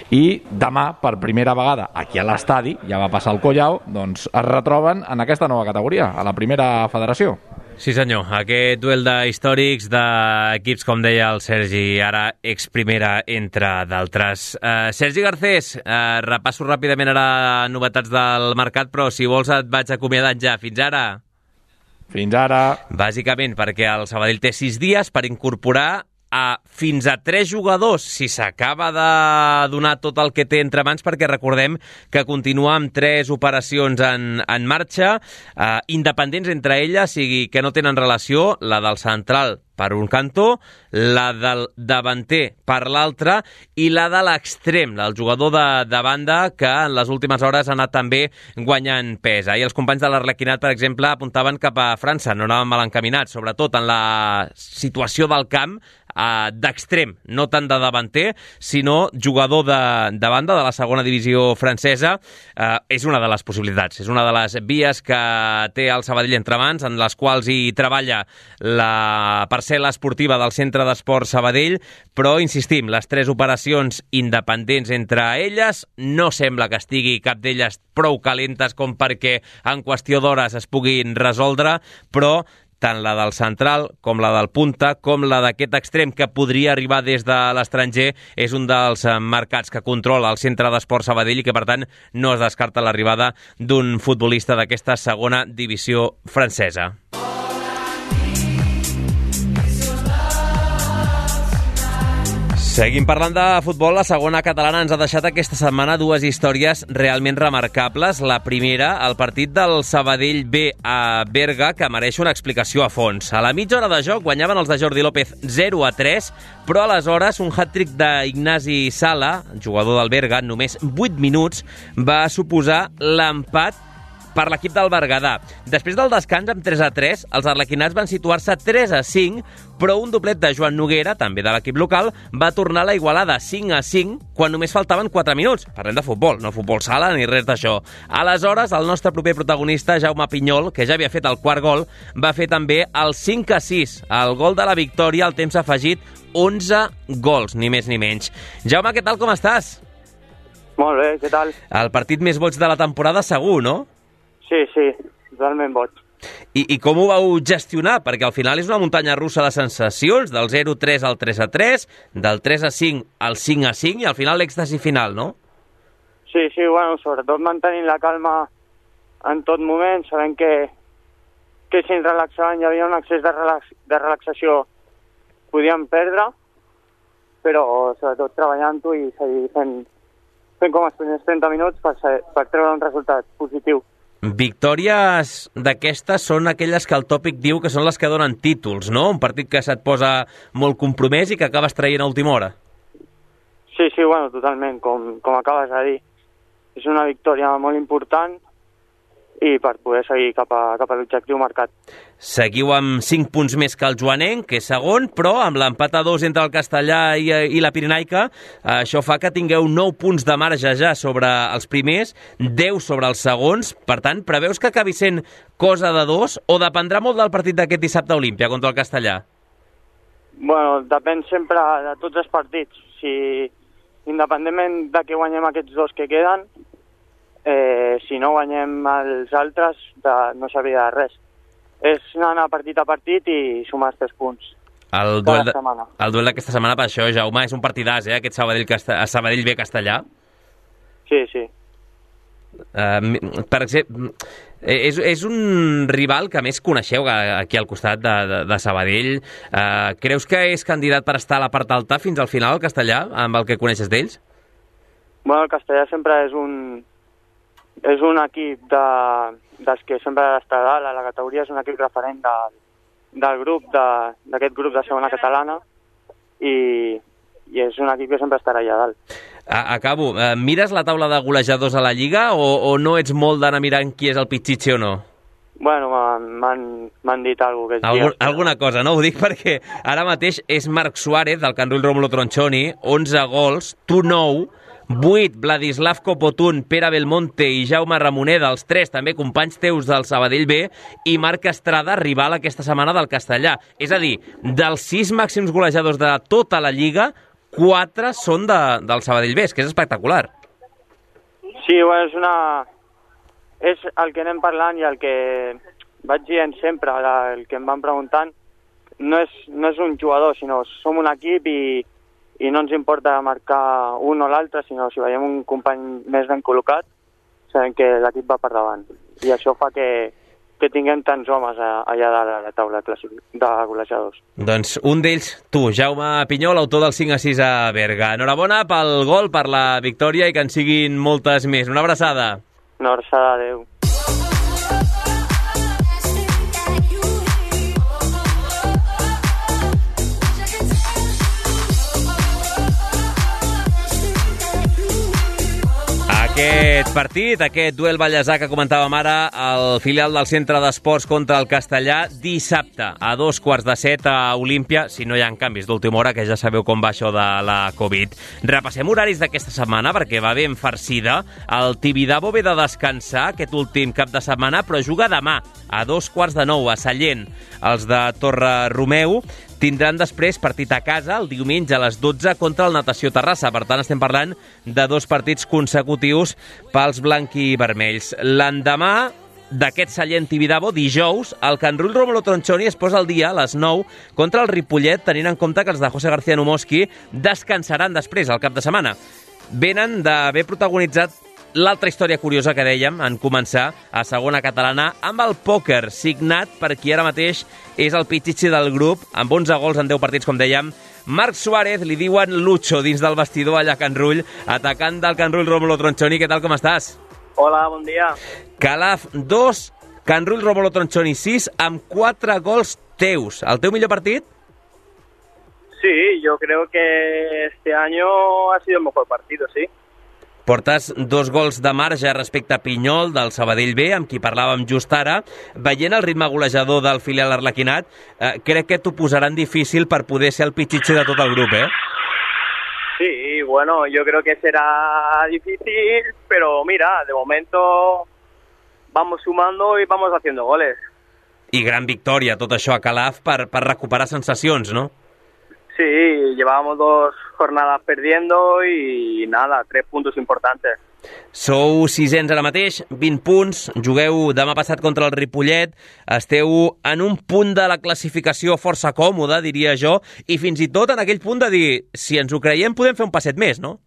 i demà, per primera vegada, aquí a l'estadi, ja va passar el Collao, doncs es retroben en aquesta nova categoria, a la primera federació.
Sí senyor, aquest duel d'històrics d'equips, com deia el Sergi, ara ex-primera, entre d'altres. Sergi Garcés, repasso ràpidament ara novetats del mercat, però si vols et vaig acomiadant ja. Fins ara.
Fins ara.
Bàsicament perquè el Sabadell té 6 dies per incorporar fins a 3 jugadors si s'acaba de donar tot el que té entre mans, perquè recordem que continua amb 3 operacions en marxa, independents entre elles, sigui que no tenen relació, la del central per un cantó, la del davanter per l'altre i la de l'extrem, el jugador de banda, que en les últimes hores ha anat també guanyant pes. Ahir els companys de l'Arlequinat, per exemple, apuntaven cap a França, no anaven mal encaminats, sobretot en la situació del camp, d'extrem, no tant de davanter, sinó jugador de banda de la segona divisió francesa. És una de les possibilitats, és una de les vies que té el Sabadell entre mans, en les quals hi treballa la parcel·la esportiva del Centre d'Esports Sabadell, però insistim, les 3 operacions independents entre elles, no sembla que estigui cap d'elles prou calentes com perquè en qüestió d'hores es puguin resoldre, però tant la del central com la del punta, com la d'aquest extrem que podria arribar des de l'estranger, és un dels mercats que controla el Centre d'Esports Sabadell i que, per tant, no es descarta l'arribada d'un futbolista d'aquesta segona divisió francesa. Seguim parlant de futbol. La segona catalana ens ha deixat aquesta setmana 2 històries realment remarcables. La primera, el partit del Sabadell B a Berga, que mereix una explicació a fons. A la mitja hora de joc guanyaven els de Jordi López 0-3, però aleshores un hat-trick d'Ignasi Sala, jugador del Berga, en només 8 minuts, va suposar l'empat per l'equip del Berguedà. Després del descans amb 3-3, els arlequinats van situar-se 3-5, però un doblet de Joan Noguera, també de l'equip local, va tornar la igualada 5-5 quan només faltaven 4 minuts. Parlem de futbol, no futbol sala ni res d'això. Aleshores, el nostre proper protagonista, Jaume Pinyol, que ja havia fet el quart gol, va fer també el 5-6, el gol de la victòria al temps afegit, 11 gols, ni més ni menys. Jaume, què tal, com estàs?
Molt bé, què tal?
El partit més boig de la temporada segur, no?
Sí, totalment boig.
I com ho vau gestionar? Perquè al final és una muntanya russa de sensacions, del 0-3 al 3-3, del 3-5 al 5-5 i al final l'èxtasi final, no?
Sí, bueno, sobretot mantenint la calma en tot moment, sabent que si ens relaxaven hi havia un excés de relaxació podíem perdre, però sobretot treballant-ho i seguir fent com els primers 30 minuts per treure un resultat positiu.
Victòries d'aquestes són aquelles que el tòpic diu que són les que donen títols, no? Un partit que se't posa molt compromès i que acabes traient a última hora.
Sí, bueno, totalment, com acabes de dir. És una victòria molt important i per poder seguir cap a l'objectiu marcat.
Seguiu amb 5 punts més que el joanenc, que és segon, però amb l'empat a 2 entre el Castellà i la Pirenaica, això fa que tingueu 9 punts de marge ja sobre els primers, 10 sobre els segons. Per tant, preveus que acabi sent cosa de 2 o dependrà molt del partit d'aquest dissabte a Olímpia contra el Castellà?
Bueno, depèn sempre de tots els partits. Si, independentment de que guanyem aquests 2 que queden, si no guanyem els altres, no serviria de res. És anar partit a partit i sumar els 3 punts.
El duel d'aquesta setmana, per això, Jaume, és un partidàs, aquest Sabadell B Castellà.
Sí.
Per exemple, és un rival que més coneixeu aquí al costat de Sabadell. Creus que és candidat per estar a la part alta fins al final, el Castellà, amb el que coneixes d'ells?
Bueno, el Castellà sempre és un equip dels que sempre ha d'estar dalt a la categoria, és un equip referent del grup, d'aquest grup de segona catalana, i és un equip que sempre estarà allà dalt.
Acabo. Mires la taula de golejadors a la Lliga o no ets molt d'anar mirant qui és el pitxitxe o no?
Bueno, m'han dit alguna cosa.
Alguna cosa, no? Ho dic perquè ara mateix és Marc Suárez, del Can Rull Rómulo Tronchoni, 11 gols, tu 9, 8, Vladislav Copotún, Pere Belmonte i Jaume Ramoneda, els 3 també companys teus del Sabadell B, i Marc Estrada, rival aquesta setmana del Castellà. És a dir, dels 6 màxims golejadors de tota la Lliga, 4 són del Sabadell B, que és espectacular.
Sí, bueno, és el que anem parlant i el que vaig dient sempre, el que em van preguntant, no és un jugador, sinó som un equip i no ens importa marcar un o l'altre, sinó si veiem un company més ben col·locat, sabem que l'equip va per davant. I això fa que tinguem tants homes allà dalt a la taula de golejadors.
Doncs un d'ells, tu, Jaume Pinyol, autor del 5-6 a Berga. Enhorabona pel gol, per la victòria i que en siguin moltes més. Una abraçada.
Una abraçada, adeu.
Aquest partit, aquest duel ballesà que comentàvem ara, el filial del Centre d'Esports contra el Castellà, dissabte a 6:45 a Olímpia, si no hi ha canvis d'última hora, que ja sabeu com va això de la Covid. Repassem horaris d'aquesta setmana, perquè va ben farcida. El Tibidabo ve de descansar aquest últim cap de setmana, però juga demà a 8:45 a Sallent. Els de Torre Romeu tindran després partit a casa el diumenge a les 12 contra el Natació Terrassa. Per tant, estem parlant de 2 partits consecutius pels blanquivermells. L'endemà d'aquest Sallent Tibidabo, dijous, el Can Rull Rómulo Tronchoni es posa al dia a les 9 contra el Ripollet, tenint en compte que els de José García Numoski descansaran després, al cap de setmana. Venen d'haver protagonitzat l'altra història curiosa que dèiem en començar a segona catalana amb el pòquer, signat per qui ara mateix és el pitxitxi del grup, amb 11 gols en 10 partits, com dèiem. Marc Suárez, li diuen Lucho dins del vestidor allà a Can Rull, atacant del Can Rull Rómulo Tronchoni. Què tal, com estàs?
Hola, bon dia.
Calaf 2, Can Rull Rómulo Tronchoni 6, amb 4 gols teus. ¿El teu millor partit?
Sí, yo creo que este año ha sido el mejor partido, sí.
Portes 2 gols de marge respecte a Pinyol, del Sabadell B, amb qui parlàvem just ara. Veient el ritme golejador del filial arlequinat, crec que t'ho posaran difícil per poder ser el pitxitxi de tot el grup,
Sí, bueno, yo creo que será difícil, pero mira, de momento vamos sumando y vamos haciendo goles.
I gran victòria, tot això a Calaf, per recuperar sensacions, no?
Sí, llevábamos 2 jornadas perdiendo y nada, 3 puntos importantes.
Sou 600 ara mateix, 20 punts, jugueu demà passat contra el Ripollet, esteu en un punt de la classificació força còmode, diria jo, i fins i tot en aquell punt de dir, si ens ho creiem podem fer un passet més, no?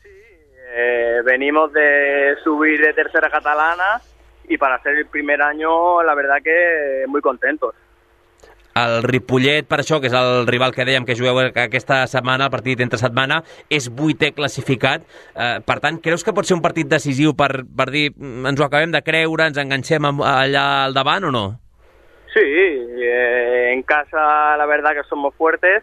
Sí, venimos de subir de tercera catalana y para ser el primer año, la verdad que muy contentos.
El Ripollet, per això, que és el rival que dèiem que jugueu aquesta setmana, el partit entre setmana, és 8è classificat. Per tant, creus que pot ser un partit decisiu per dir ens ho acabem de creure, ens enganxem allà al davant o no?
Sí, en casa la verdad que somos fuertes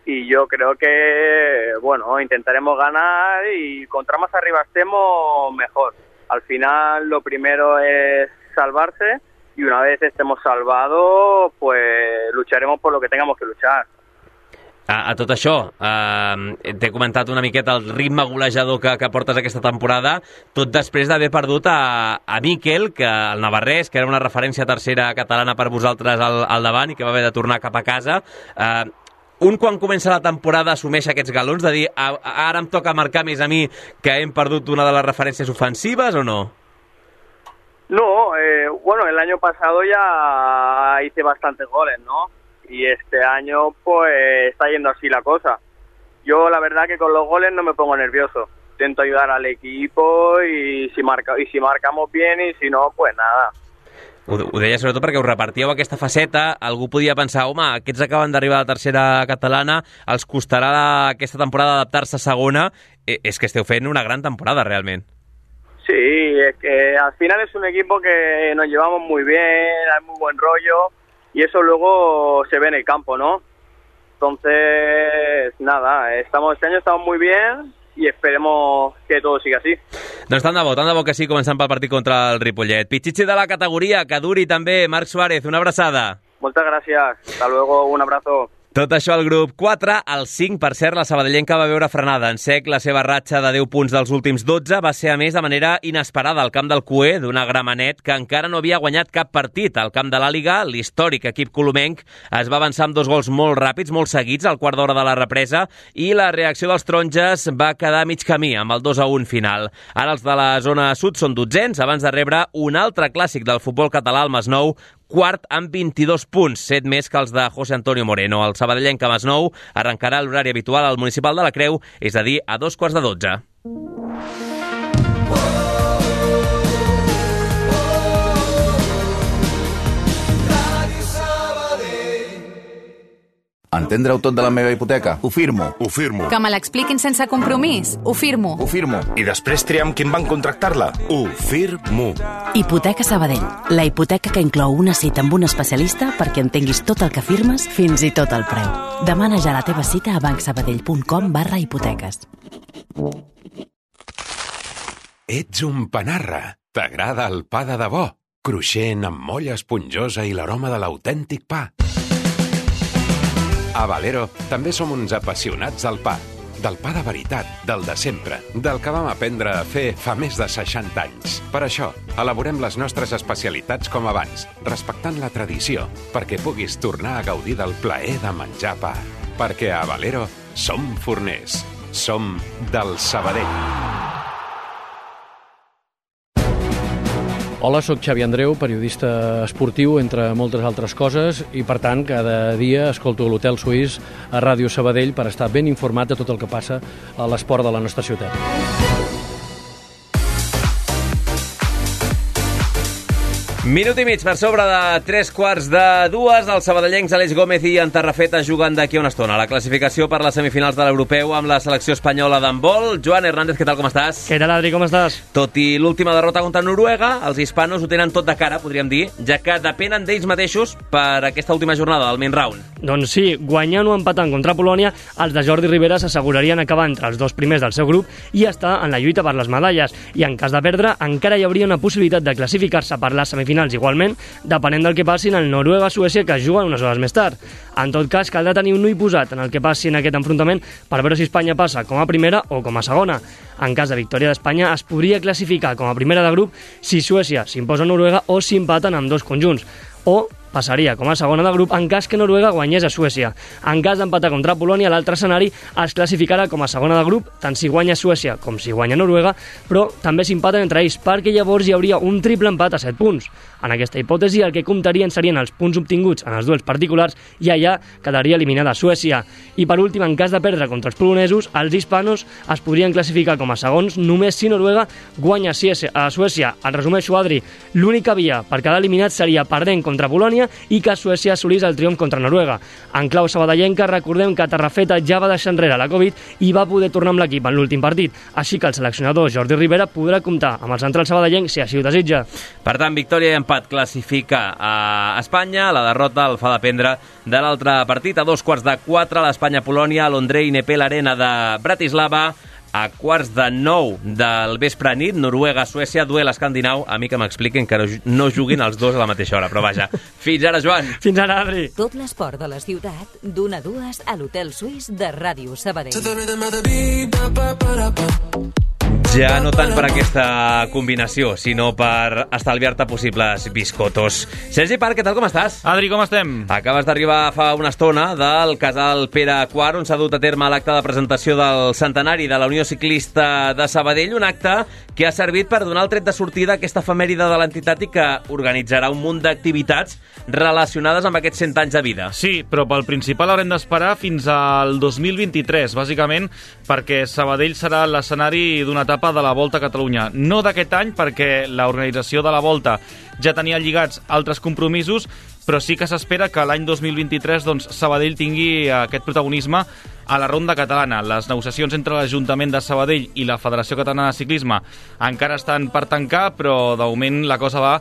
y yo creo que, bueno, intentaremos ganar y contra más arriba estemos, mejor. Al final lo primero es salvarse. Y una vez estemos salvados, pues lucharemos por lo que tengamos que luchar.
A tot això, t'he comentat una miqueta el ritme golejador que portes aquesta temporada, tot després d'haver perdut a Miquel, que el navarrès, que era una referència tercera catalana per vosaltres al davant i que va haver de tornar cap a casa. Quan comença la temporada assumeix aquests galons de dir ara em toca marcar més a mi que hem perdut una de les referències ofensives o no?
No, bueno, el año pasado ya hice bastantes goles, ¿no? Y este año pues está yendo así la cosa. Yo la verdad que con los goles no me pongo nervioso. Intento ayudar al equipo y si marcamos bien y si no, pues nada.
Ho deia sobretot perquè us repartíeu aquesta faceta, algú podia pensar, home, aquests acaben d'arribar a la tercera catalana, els costarà aquesta temporada adaptar-se a segona. És que esteu fent una gran temporada, realment.
Sí, es que al final es un equipo que nos llevamos muy bien, hay muy buen rollo y eso luego se ve en el campo, ¿no? Entonces, nada, este año estamos muy bien y esperemos que todo siga así.
Doncs tant de bo que sí, començant pel partit contra el Ripollet. Pichichi de la categoria, que duri també. Marc Suárez, una abraçada.
Moltes gràcies, hasta luego, un abrazo.
Tot això al grup 4, al 5, per cert, la sabadellenca va veure frenada en sec. La seva ratxa de 10 punts dels últims 12 va ser, a més, de manera inesperada al camp del Cué, d'una Gramenet que encara no havia guanyat cap partit. Al camp de l'Àliga, l'històric equip colomenc es va avançar amb 2 gols molt ràpids, molt seguits, al quart d'hora de la represa, i la reacció dels taronges va quedar mig camí, amb el 2-1 final. Ara els de la zona sud són 12ens, abans de rebre un altre clàssic del futbol català, el Masnou, quart amb 22 punts, 7 més que els de José Antonio Moreno. El sabadellenc Masnou arrencarà l'horari habitual al Municipal de la Creu, és a dir, a 2:15.
Entendre-ho tot de la meva hipoteca? Ho firmo.
Ho firmo.
Que me l'expliquin sense compromís? Ho firmo.
Ho firmo.
I després triam quin banc contractar-la? Ho firmo.
Hipoteca Sabadell. La hipoteca que inclou una cita amb un especialista perquè entenguis tot el que firmes, fins i tot el preu. Demana ja la teva cita a bancsabadell.com/hipoteques.
Ets un panarra. T'agrada el pa de debò? Cruixent, amb molla esponjosa i l'aroma de l'autèntic pa. A Valero també som uns apassionats del pa. Del pa de veritat, del de sempre, del que vam aprendre a fer fa més de 60 anys. Per això, elaborem les nostres especialitats com abans, respectant la tradició, perquè puguis tornar a gaudir del plaer de menjar pa. Perquè a Valero som forners. Som del Sabadell.
Hola, sóc Xavi Andreu, periodista esportiu, entre moltes altres coses, i per tant cada dia escolto l'Hotel Suís a Ràdio Sabadell per estar ben informat de tot el que passa a l'esport de la nostra ciutat.
Minut i mig per sobre de 3:45. Els sabadellencs Aleix Gómez i en Tarrafeta juguen d'aquí a una estona la classificació per les semifinals de l'Europeu amb la selecció espanyola d'handbol. Joan Hernández, què tal, com estàs?
Què tal, Adri, com estàs?
Tot i l'última derrota contra Noruega, els hispanos ho tenen tot de cara, podríem dir, ja que depenen d'ells mateixos per aquesta última jornada del main round.
Doncs sí, guanyant o empatant contra Polònia, els de Jordi Rivera s'assegurarien acabar entre els dos primers del seu grup i estar en la lluita per les medalles. I en cas de perdre, encara hi hauria una possibilitat de classificar-se per les semifinals igualment, depenent del que passi en el Noruega-Suècia, que es juguen unes hores més tard. En tot cas, caldrà tenir un ull posat en el que passi en aquest enfrontament per veure si Espanya passa com a primera o com a segona. En cas de victòria d'Espanya, es podria classificar com a primera de grup si Suècia s'imposa a Noruega o si empaten amb dos conjunts, o passaria com a segona de grup en cas que Noruega guanyés a Suècia. En cas d'empatar contra Polònia, l'altre escenari es classificarà com a segona de grup, tant si guanya Suècia com si guanya Noruega, però també s'empaten entre ells, perquè llavors hi hauria un triple empat a 7 punts. En aquesta hipòtesi, el que comptarien serien els punts obtinguts en els duels particulars i allà quedaria eliminada Suècia. I per últim, en cas de perdre contra els polonesos, els hispanos es podrien classificar com a segons només si Noruega guanya a Suècia. En resumeixo, Adri, l'única via per quedar eliminat seria perdent contra Polònia i que Suècia assolís el triomf contra Noruega. En clau sabadellenca, recordem que Tarrafeta ja va deixar enrere la Covid i va poder tornar amb l'equip en l'últim partit, així que el seleccionador Jordi Rivera podrà comptar amb el central sabadellenc si així ho desitja.
Per tant, victòria i empat classifica a Espanya, la derrota el fa dependre de l'altre partit. A 3:45, l'Espanya-Polònia a l'Ondrej Nepel Arena de Bratislava. A 8:45 del vespre nit, Noruega-Suècia, duel escandinau. A mi que m'expliquen que no juguin els dos a la mateixa hora, però vaja. Fins ara, Joan.
Fins ara, Adri.
Tot l'esport de la ciutat, d'1 a 2 a l'Hotel Suís de Ràdio Sabadell.
Ja no tant per aquesta combinació, sinó per estalviar-te possibles biscotos. Sergi Parc, què tal, com estàs?
Adri, com estem?
Acabes d'arribar fa una estona del casal Pere IV, on s'ha dut a terme l'acte de presentació del centenari de la Unió Ciclista de Sabadell, un acte que ha servit per donar el tret de sortida a aquesta efemèride de l'entitat i que organitzarà un munt d'activitats relacionades amb aquests 100 anys de vida.
Sí, però pel principal haurem d'esperar fins al 2023, bàsicament, perquè Sabadell serà l'escenari d'una etapa de la Volta a Catalunya. No d'aquest any, perquè l'organització de la Volta ja tenia lligats altres compromisos, però sí que s'espera que l'any 2023 Sabadell tingui aquest protagonisme a la ronda catalana. Les negociacions entre l'Ajuntament de Sabadell i la Federació Catalana de Ciclisme encara estan per tancar, però de moment la cosa va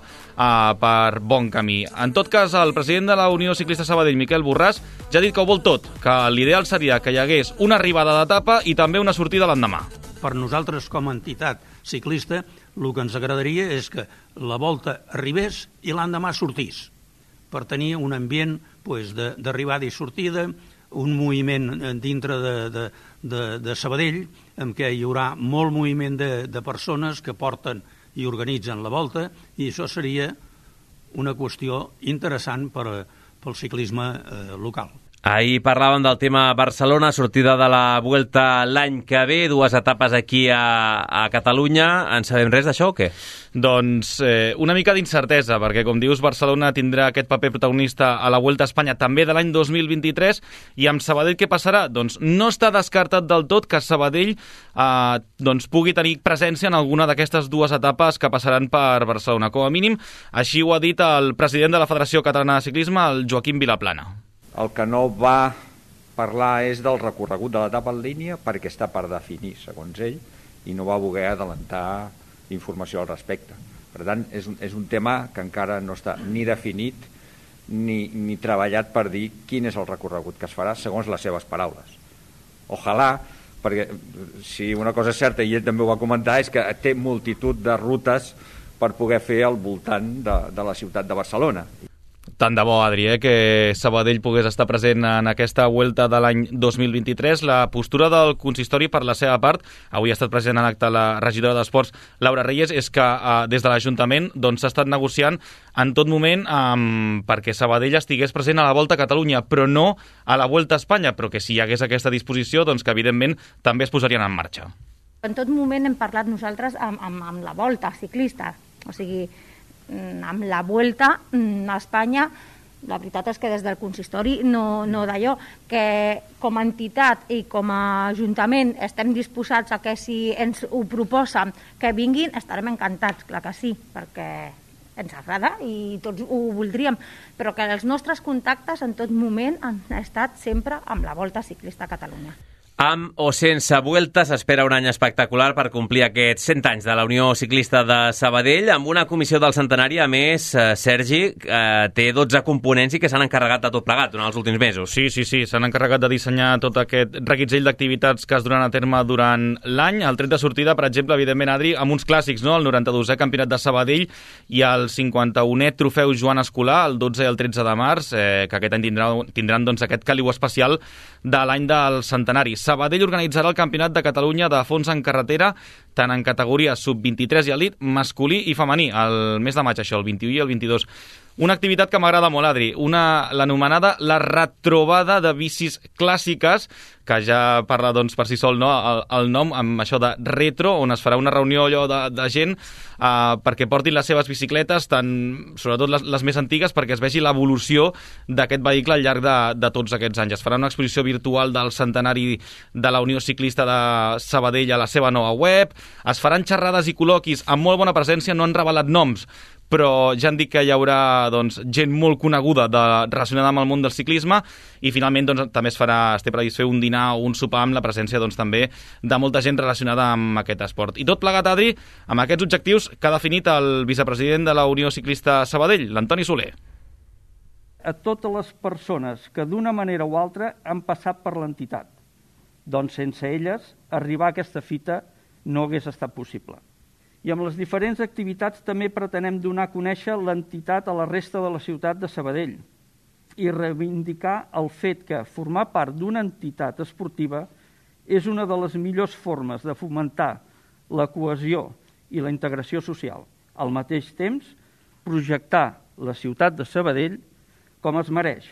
per bon camí. En tot cas, el president de la Unió Ciclista Sabadell, Miquel Borràs, ja ha dit que ho vol tot, que l'ideal seria que hi hagués una arribada d'etapa i també una sortida l'endemà.
Per nosaltres, com a entitat ciclista, el que ens agradaria és que la Volta arribés i l'endemà sortís, per tenir un ambient d'arribada i sortida, un moviment dintre de Sabadell, en què hi haurà molt moviment de persones que porten i organitzen la Volta, i això seria una qüestió interessant pel ciclisme local.
Ahir parlàvem del tema Barcelona, sortida de la Vuelta l'any que ve, 2 etapes aquí a Catalunya. En sabem res d'això o què?
Doncs una mica d'incertesa, perquè com dius, Barcelona tindrà aquest paper protagonista a la Vuelta a Espanya també de l'any 2023, i amb Sabadell què passarà? Doncs no està descartat del tot que Sabadell pugui tenir presència en alguna d'aquestes 2 etapes que passaran per Barcelona. Com a mínim, així ho ha dit el president de la Federació Catalana de Ciclisme, el Joaquim Vilaplana.
El que no va parlar és del recorregut de l'etapa en línia, perquè està per definir, segons ell, i no va voler adelantar informació al respecte. Per tant, és un tema que encara no està ni definit ni treballat per dir quin és el recorregut que es farà, segons les seves paraules. Ojalà, perquè si una cosa és certa, i ell també ho va comentar, és que té multitud de rutes per poder fer al voltant de la ciutat de Barcelona.
Tant de bo, Adri, que Sabadell pogués estar present en aquesta Vuelta de l'any 2023. La postura del consistori, per la seva part, avui ha estat present en l'acte la regidora d'Esports, Laura Reyes, és que des de l'Ajuntament s'ha estat negociant en tot moment perquè Sabadell estigués present a la Volta a Catalunya, però no a la Vuelta a Espanya, però que si hi hagués aquesta disposició, que evidentment també es posarien en marxa.
En tot moment hem parlat nosaltres amb la Volta ciclista, o sigui, amb la Vuelta a Espanya, la veritat és que des del consistori no d'allò, que com a entitat i com a ajuntament estem disposats a que si ens ho proposen que vinguin, estarem encantats, clar que sí, perquè ens agrada i tots ho voldríem, però que els nostres contactes en tot moment han estat sempre amb la Volta Ciclista a Catalunya.
Amb o sense Vuelta s'espera un any espectacular per complir aquests 100 anys de la Unió Ciclista de Sabadell, amb una comissió del centenari, a més, Sergi, té 12 components i que s'han encarregat de tot plegat durant els últims mesos.
Sí, s'han encarregat de dissenyar tot aquest reguitzell d'activitats que es duran a terme durant l'any. El tret de sortida, per exemple, evidentment, Adri, amb uns clàssics, no? El 92è Campionat de Sabadell i el 51è Trofeu Joan Escolà, el 12 i el 13 de març, que aquest any tindran doncs, aquest caliu especial de l'any del centenari. Sabadell organitzarà el Campionat de Catalunya de fons en carretera, tant en categoria sub-23 i elit, masculí i femení, el mes de maig, això, el 21 i el 22. Una activitat que m'agrada molt, Adri, l'anomenada la retrobada de bicis clàssiques, que ja parla doncs, per si sol, no? el nom, amb això de retro, on es farà una reunió allò de gent perquè portin les seves bicicletes, sobretot les més antigues, perquè es vegi l'evolució d'aquest vehicle al llarg de tots aquests anys. Es farà una exposició virtual del centenari de la Unió Ciclista de Sabadell a la seva nova web, es faran xerrades i col·loquis amb molt bona presència, no han revelat noms, però ja han dit que hi haurà doncs, gent molt coneguda relacionada amb el món del ciclisme i finalment doncs, també es té previst fer un dinar o un sopar amb la presència doncs, també de molta gent relacionada amb aquest esport. I tot plegat, Adri, amb aquests objectius que ha definit el vicepresident de la Unió Ciclista Sabadell, l'Antoni Soler.
A totes les persones que d'una manera o altra han passat per l'entitat. Doncs sense elles, arribar a aquesta fita no hagués estat possible. I amb les diferents activitats també pretenem donar a conèixer l'entitat a la resta de la ciutat de Sabadell i reivindicar el fet que formar part d'una entitat esportiva és una de les millors formes de fomentar la cohesió i la integració social. Al mateix temps, projectar la ciutat de Sabadell com es mereix,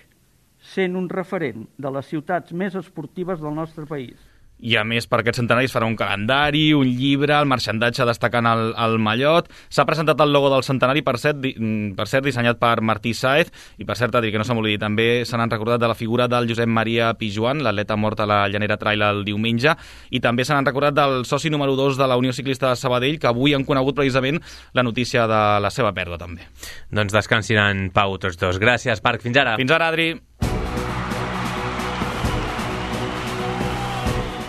sent un referent de les ciutats més esportives del nostre país.
I a més, per aquest centenari es farà un calendari, un llibre, el marxandatge destacant el mallot. S'ha presentat el logo del centenari, per cert, dissenyat per Martí Sáez, i per cert, Adri, que no se m'oblidi, també se n'han recordat de la figura del Josep Maria Pijuan, l'atleta mort a la Llanera Trail el diumenge, i també se n'han recordat del soci número 2 de la Unió Ciclista de Sabadell, que avui han conegut precisament la notícia de la seva pèrdua, també.
Doncs descansin en pau tots dos. Gràcies, Parc. Fins ara.
Fins ara, Adri.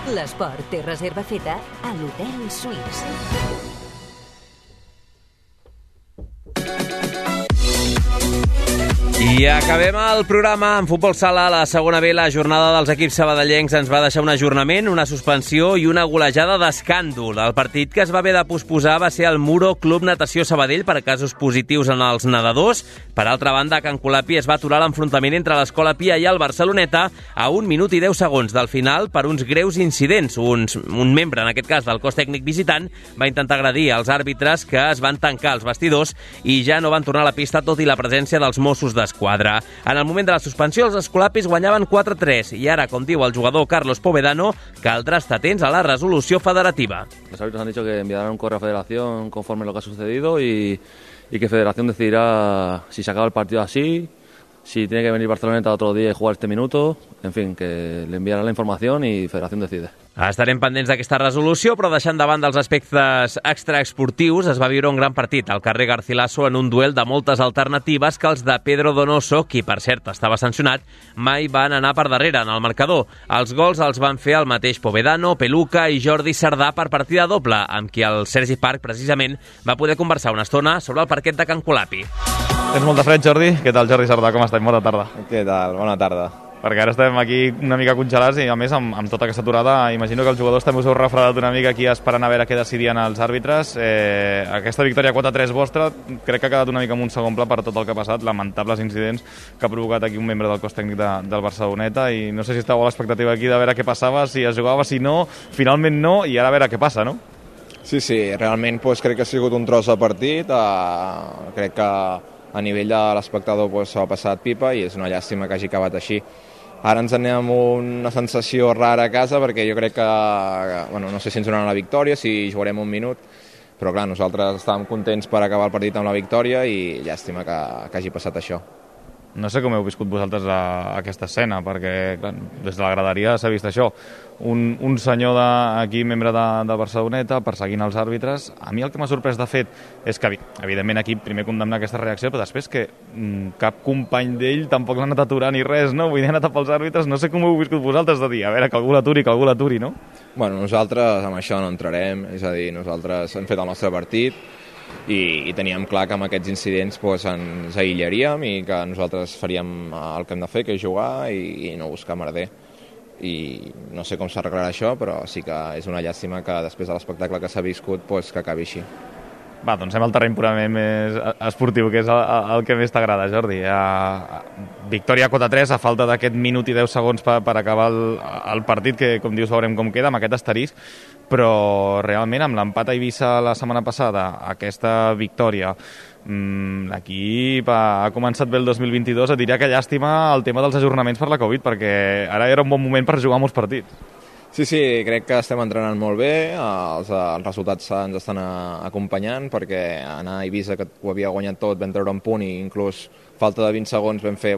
L'esport té reserva feta a l'Hotel Suís.
I acabem el programa en futbol sala. La segona B, la jornada dels equips sabadellencs ens va deixar un ajornament, una suspensió i una golejada d'escàndol. El partit que es va haver de posposar va ser el Muro Club Natació Sabadell per casos positius en els nedadors. Per altra banda, a Can Colapi es va aturar l'enfrontament entre l'Escola Pia i el Barceloneta a 1 minut i 10 segons del final per uns greus incidents. Un membre, en aquest cas del cos tècnic visitant, va intentar agredir els àrbitres, que es van tancar els vestidors i ja no van tornar a la pista tot i la presència dels Mossos d'Esquadra. En el moment de la suspensió, els escolapis guanyaven 4-3 i ara, com diu el jugador Carlos Povedano, caldrà estar atents a la resolució federativa.
Los árbitros han dicho que enviarán un correo a Federación conforme lo que ha sucedido y que Federación decidirá si se acaba el partido así, si tiene que venir Barceloneta otro día y jugar este minuto, en fin, que le enviarán la información y Federación decide.
Estarem pendents d'aquesta resolució, però deixant davant dels aspectes extraesportius, es va viure un gran partit al carrer Garcilaso en un duel de moltes alternatives que els de Pedro Donoso, qui per cert estava sancionat, mai van anar per darrere en el marcador. Els gols els van fer el mateix Povedano, Peluca i Jordi Sardà per partida doble, amb qui el Sergi Parc precisament va poder conversar una estona sobre el parquet de Can Colapi.
Tens molt de fred, Jordi? Què tal, Jordi Sardà? Com estàs? Bona tarda.
Què tal? Bona tarda.
Perquè ara estem aquí una mica congelats i, a més, amb tota aquesta aturada, imagino que els jugadors també us heu refredat una mica aquí esperant a veure què decidien els àrbitres. Aquesta victòria 4-3 vostra crec que ha quedat una mica en un segon pla per tot el que ha passat, lamentables incidents que ha provocat aquí un membre del cos tècnic del Barceloneta, i no sé si estàveu a l'expectativa aquí de veure què passava, si es jugava, si no, finalment no, i ara a veure què passa, no?
Sí, realment crec que ha sigut un tros de partit, crec que a nivell de l'espectador s'ha passat pipa i és una llàstima que hagi acabat així. Ara ens anem amb una sensació rara a casa perquè jo crec que no sé si ens donaran la victòria, si jugarem un minut, però clar, nosaltres estàvem contents per acabar el partit amb la victòria i llàstima que hagi passat això.
No sé com heu viscut vosaltres aquesta escena, perquè clar, des de la graderia s'ha vist això. Un senyor aquí, membre de Barceloneta, perseguint els àrbitres. A mi el que m'ha sorprès de fet és que, evidentment, aquí primer condemnar aquesta reacció, però després que cap company d'ell tampoc l'ha anat aturant ni res, no? Vull dir, ha anat els àrbitres. No sé com heu viscut vosaltres de dir, a veure, que algú l'aturi, no?
Bueno, nosaltres amb això no entrarem, és a dir, nosaltres hem fet el nostre partit i teníem clar que amb aquests incidents ens aïllaríem i que nosaltres faríem el que hem de fer, que és jugar i no buscar merder. I no sé com s'arreglarà això, però sí que és una llàstima que després de l'espectacle que s'ha viscut que acabi així.
Va, doncs anem al terreny purament més esportiu, que és el que més t'agrada, Jordi. Victòria 4-3 a falta d'aquest minut i 10 segons per acabar el partit, que com dius veurem com queda, amb aquest asterisc, però realment amb l'empat a Eivissa la setmana passada, aquesta victòria, l'equip ha començat bé el 2022, et diria que llàstima el tema dels ajornaments per la Covid, perquè ara era un bon moment per jugar molts partits.
Sí, crec que estem entrenant molt bé, els resultats ens estan acompanyant, perquè anar a Eivissa, que ho havia guanyat tot, vam treure un punt i inclús falta de 20 segons vam fer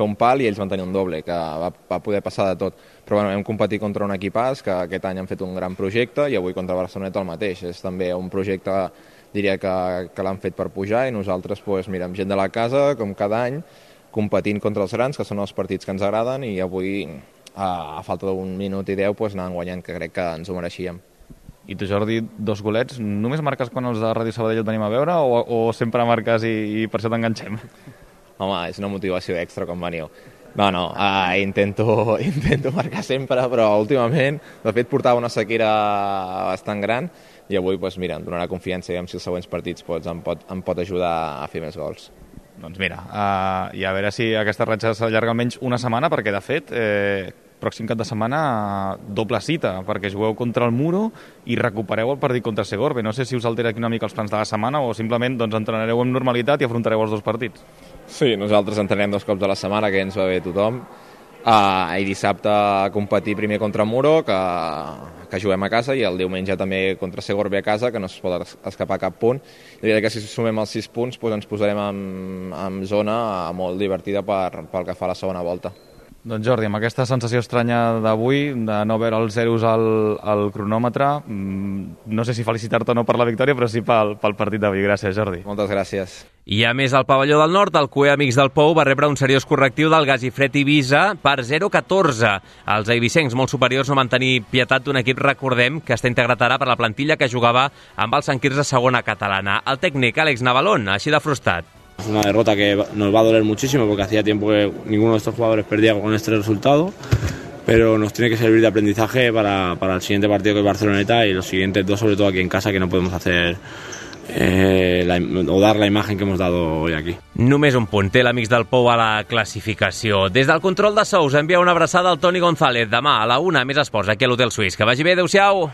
un pal i ells van tenir un doble, que va poder passar de tot. Però vam competir contra un equipàs que aquest any han fet un gran projecte i avui contra Barceloneta el mateix. És també un projecte, diria que l'han fet per pujar i nosaltres mirem gent de la casa, com cada any, competint contra els grans, que són els partits que ens agraden, i avui a falta d'un minut i 10 anàvem guanyant, que crec que ens ho mereixíem.
I tu, Jordi, 2 golets, només marques quan els de Ràdio Sabadell et venim a veure o sempre marques i per això t'enganxem?
Home, és una motivació extra quan veniu. No, intento marcar sempre, però últimament, de fet, portava una sequera bastant gran i avui, mira, em donarà confiança i si els següents partits em pot ajudar a fer més gols.
Doncs mira, i a veure si aquesta ratxa s'allarga almenys una setmana, perquè de fet, pròxim cap de setmana, doble cita, perquè jugueu contra el Muro i recupereu el partit contra Segorbe. No sé si us altera aquí una mica els plans de la setmana o simplement entrenareu amb normalitat i afrontareu els 2 partits.
Sí, nosaltres entrenem 2 cops a la setmana, que ens va bé tothom. I dissabte competir primer contra el Muro, que juguem a casa, i el diumenge també contra Segorbe a casa, que no es pot escapar cap punt. I que si sumem els 6 punts ens posarem en zona molt divertida pel que fa a la segona volta.
Doncs Jordi, amb aquesta sensació estranya d'avui, de no veure els zeros al cronòmetre, no sé si felicitar-te o no per la victòria, però sí pel partit d'avui. Gràcies, Jordi.
Moltes gràcies.
I a més, al pavelló del Nord, el CUE Amics del Pou va rebre un seriós correctiu del Gasifred Eivissa per 0-14. Els eivissencs molt superiors no van tenir pietat d'un equip, recordem, que està integrat ara per la plantilla que jugava amb el Sant Quirze segona catalana. El tècnic Àlex Navalón, així de frustrat.
Es una derrota que nos va a doler muchísimo porque hacía tiempo que ninguno de estos jugadores perdía con este resultado, pero nos tiene que servir de aprendizaje para el siguiente partido que es Barceloneta y los siguientes 2, sobre todo aquí en casa, que no podemos hacer o dar la imagen que hemos dado hoy aquí.
Només un punt té l'Amics del Pou a la classificació. Des del control de sous envia una abraçada al Toni González. Demà a la 1 més esports aquí a l'Hotel Suís. Que vagi bé, adeu-siau!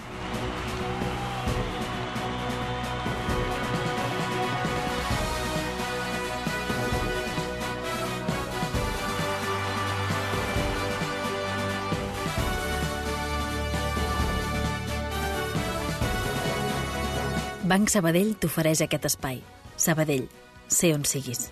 Banc Sabadell t'ofereix aquest espai. Sabadell, sé on siguis.